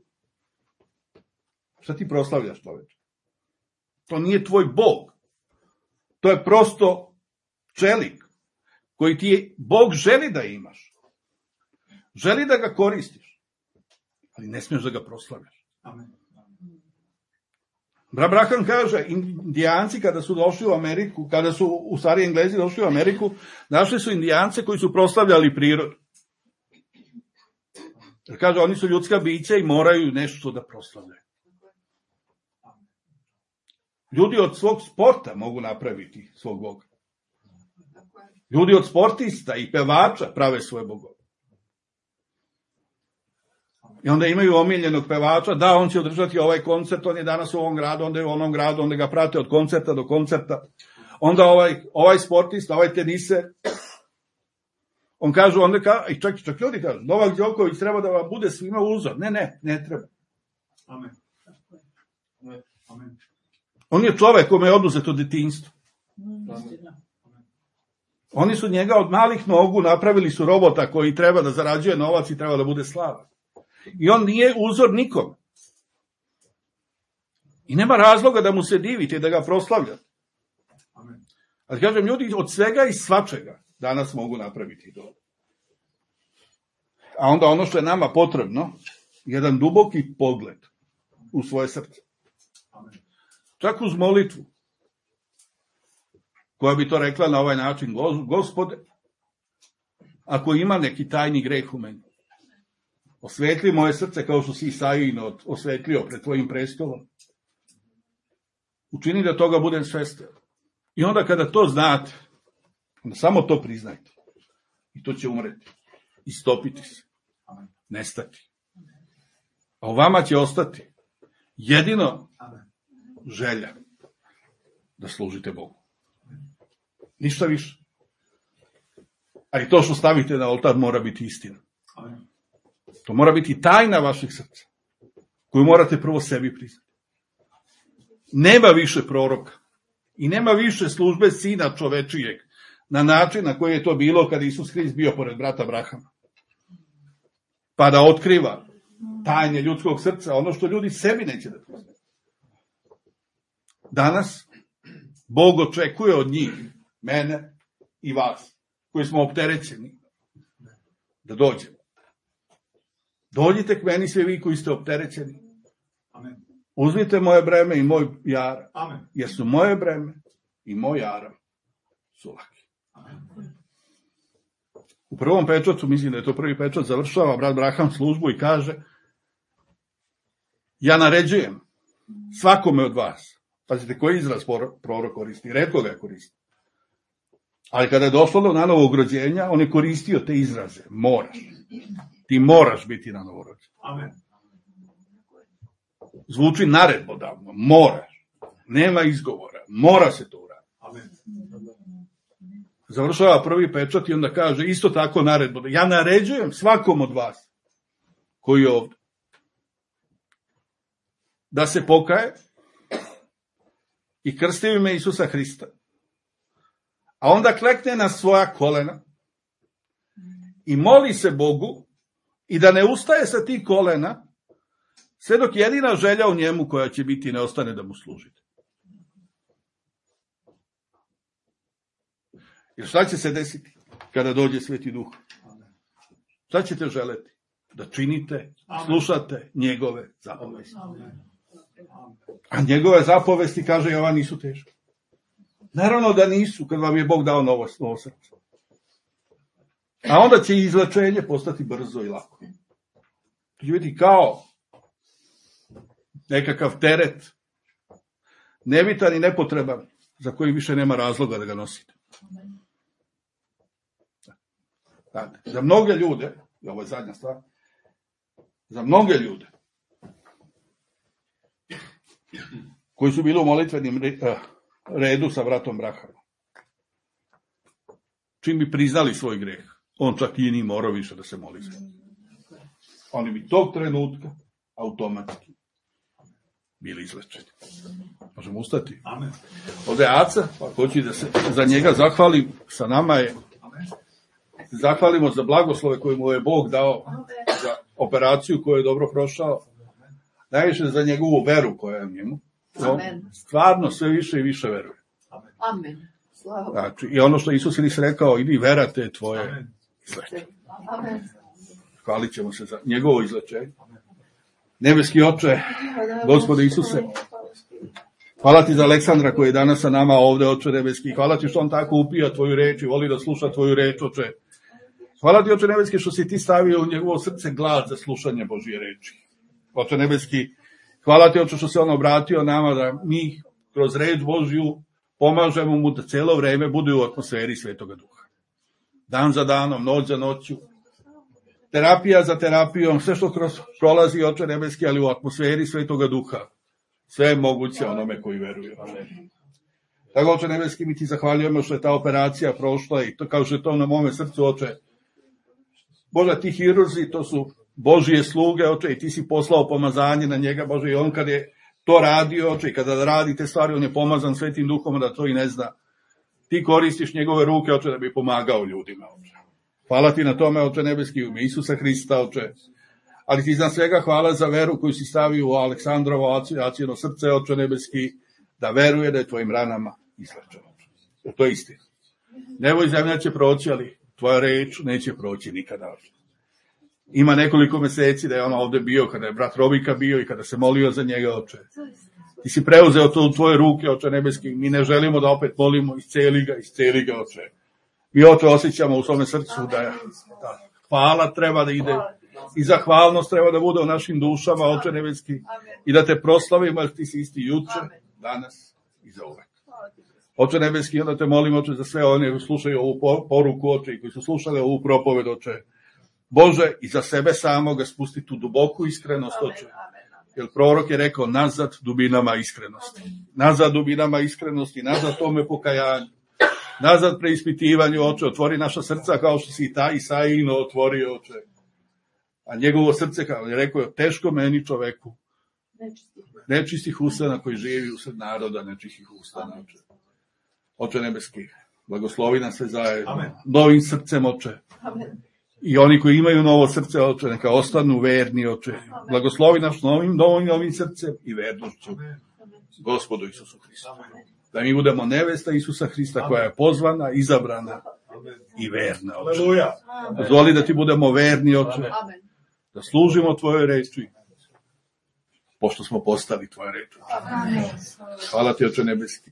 [SPEAKER 1] šta ti proslavljaš, čoveče? To nije tvoj Bog. To je prosto čelik koji ti Bog želi da imaš. Želi da ga koristiš, ali ne smiješ da ga proslavljaš.
[SPEAKER 3] Amen.
[SPEAKER 1] Abraham kaže, Indijanci kada su došli u Ameriku, kada su u stvari Englezi došli u Ameriku, našli su Indijance koji su proslavljali prirodu. Jer kaže, oni su ljudska bića i moraju nešto da proslavljaju. Ljudi od svog sporta mogu napraviti svog Boga. Ljudi od sportista i pevača prave svoje bogove. I onda imaju omiljenog pevača, da, on će održati ovaj koncert, on je danas u ovom gradu, onda je u onom gradu, onda ga prate od koncerta do koncerta. Onda ovaj sportista, ovaj teniser, on kaže, i čak ljudi kažu, Novak Đoković treba da vam bude svima uzor. Ne treba.
[SPEAKER 3] Amen. Amen.
[SPEAKER 1] On je čovek kome je oduzeto detinjstvo. Oni su njega od malih nogu napravili su robota koji treba da zarađuje novac i treba da bude slavan. I on nije uzor nikome. I nema razloga da mu se divite i da ga proslavljate. Ali kažem, ljudi od svega i svačega danas mogu napraviti to. A onda ono što je nama potrebno, jedan duboki pogled u svoje srce. Čak uz molitvu, koja bi to rekla na ovaj način, Gospode, ako ima neki tajni greh u meni, osvetli moje srce kao što si Isaijin osvetlio pred tvojim prestolom. Učini da toga budem svestan. I onda kada to znate, onda samo to priznajte. I to će umreti. Istopiti se. Nestati. A u vama će ostati jedino želja da služite Bogu. Ništa više. A i to što stavite na oltar mora biti istina. To mora biti tajna vašeg srca, koju morate prvo sebi priznati. Nema više proroka i nema više službe sina čovečijeg na način na koji je to bilo kada Isus Hrist bio pored brata Abrahama. Pa da otkriva tajne ljudskog srca, ono što ljudi sebi neće da priznaju. Danas Bog očekuje od njih, mene i vas, koji smo opterećeni, da dođemo. Dođite k meni svi vi koji ste opterećeni. Uzmite moje breme i moj jaram, jer su moje breme i moj jaram su laki. U prvom pečatu, mislim da je to prvi pečat, završava brat Braham službu i kaže: ja naređujem svakome od vas, pazite koji izraz prorok koristi, retko ga koristi, ali kada je došlo do nanovog rođenja, on je koristio te izraze, moraš, ti moraš biti na novorođen. Amen. Zvuči naredbodavno, moraš, nema izgovora, mora se to uraditi. Amen. Završava prvi pečat i onda kaže isto tako naredbodavno, ja naređujem svakom od vas koji je ovdje da se pokaje i krsti u ime Isusa Hrista, a onda klekne na svoja kolena i moli se Bogu i da ne ustaje sa tih kolena sve dok jedina želja u njemu koja će biti ne ostane da mu služite. Jer šta će se desiti kada dođe Sveti Duh? Šta ćete želeti? Da činite, slušate njegove zapovesti. A njegove zapovesti, kaže Jovan, nisu teške. Naravno da nisu, kad vam je Bog dao novo srce. A onda će izlečenje postati brzo i lako. To će biti kao nekakav teret, nebitan i nepotreban, za koji više nema razloga da ga nosite. Za mnoge ljude, i ovo je zadnja stvar, za mnoge ljude koji su bili u molitvenim redu sa bratom Brahamom, čim bi priznali svoj greh, on čak i nije morao više da se moli. Oni bi tog trenutka automatski bili izlečeni. Možemo ustati? Amen. Ovdje je Aca, pa hoću da se za njega zahvalim, sa nama je. Zahvalimo za blagoslove koje mu je Bog dao, za operaciju koju je dobro prošao, najviše za njegovu veru koja je u njemu.
[SPEAKER 2] Amen.
[SPEAKER 1] Stvarno sve više i više veruje.
[SPEAKER 2] Amen.
[SPEAKER 1] Znači, i ono što Isus Hrist rekao, idi vera te tvoje izlečenje. Hvalit ćemo se za njegovo izlečenje. Nebeski Oče, Gospode Isuse, hvala ti za Aleksandra koji je danas sa nama ovde, Oče nebeski. Hvala ti što on tako upija tvoju reč i voli da sluša tvoju reč, Oče. Hvala ti, Oče nebeski, što si ti stavio u njegovo srce glad za slušanje Božje reči. Oče nebeski, hvala ti, Oče, što se on obratio nama da mi kroz reč Božju pomažemo mu da celo vreme bude u atmosferi Svetoga Duha. Dan za danom, noć za noću, terapija za terapijom, sve što prolazi, Oče nebeski, ali u atmosferi Svetoga Duha. Sve je moguće onome koji veruje. Tako, Oče nebeski, mi ti zahvaljujemo što je ta operacija prošla i to, kao što je to na mome srcu, Oče. Bože, ti hirurzi, to su Božije sluge, Oče, i ti si poslao pomazanje na njega, Bože, i on kad je to radio, Oče, i kada radi te stvari, on je pomazan Svetim Duhom, da to i ne zna. Ti koristiš njegove ruke, Oče, da bi pomagao ljudima, Oče. Hvala ti na tome, Oče nebeski, u ime Isusa Hrista, Oče. Ali ti za svega hvala za veru koju si stavio u Aleksandrovo Acijino srce, Oče nebeski, da veruje da je tvojim ranama izlečeno. To je istina. Nebo i zemlja će proći, ali tvoja reč neće proći nikada. Ima nekoliko meseci da je on ovde bio, kada je brat Robika bio i kada se molio za njega, Oče. Ti si preuzeo to u tvoje ruke, Oče nebeski. Mi ne želimo da opet molimo, isceli ga, Oče. Mi, Oče, osjećamo u svome srcu da hvala treba da ide i zahvalnost treba da bude u našim dušama, Oče nebeski, i da te proslavimo, jer ti si isti juče, danas i za uvek. Oče nebeski, onda te molim, Oče, za sve one koji slušaju ovu poruku, Oče, i koji su slušali ovu propoved, Oče. Bože, i za sebe samoga spusti tu duboku iskrenost, Oče. Jer prorok je rekao, nazad dubinama iskrenosti. Nazad dubinama iskrenosti, nazad tome pokajanju. Nazad preispitivanju, Oče, otvori naša srca kao što si i ta Isaijino otvorio, Oče. A njegovo srce, kao je rekao, teško meni čoveku. Nečistih ustana koji živi usred naroda nečistih ustana, Oče. Oče nebeski, blagoslovi nas sve zajedno. Amen. Novim srcem, Oče. Amen. I oni koji imaju novo srce, Oče, neka ostanu verni, Oče. Amen. Blagoslovi nas novim srcem i vernošću. Amen. Gospodu Isusu Hristu. Amen. Da mi budemo nevesta Isusa Hrista, amen, koja je pozvana, izabrana, amen, i verna, Oče. Dozvoli da ti budemo verni, Oče. Amen. Da služimo tvojoj reči, pošto smo postali tvoje reči. Hvala ti, Oče nebeski.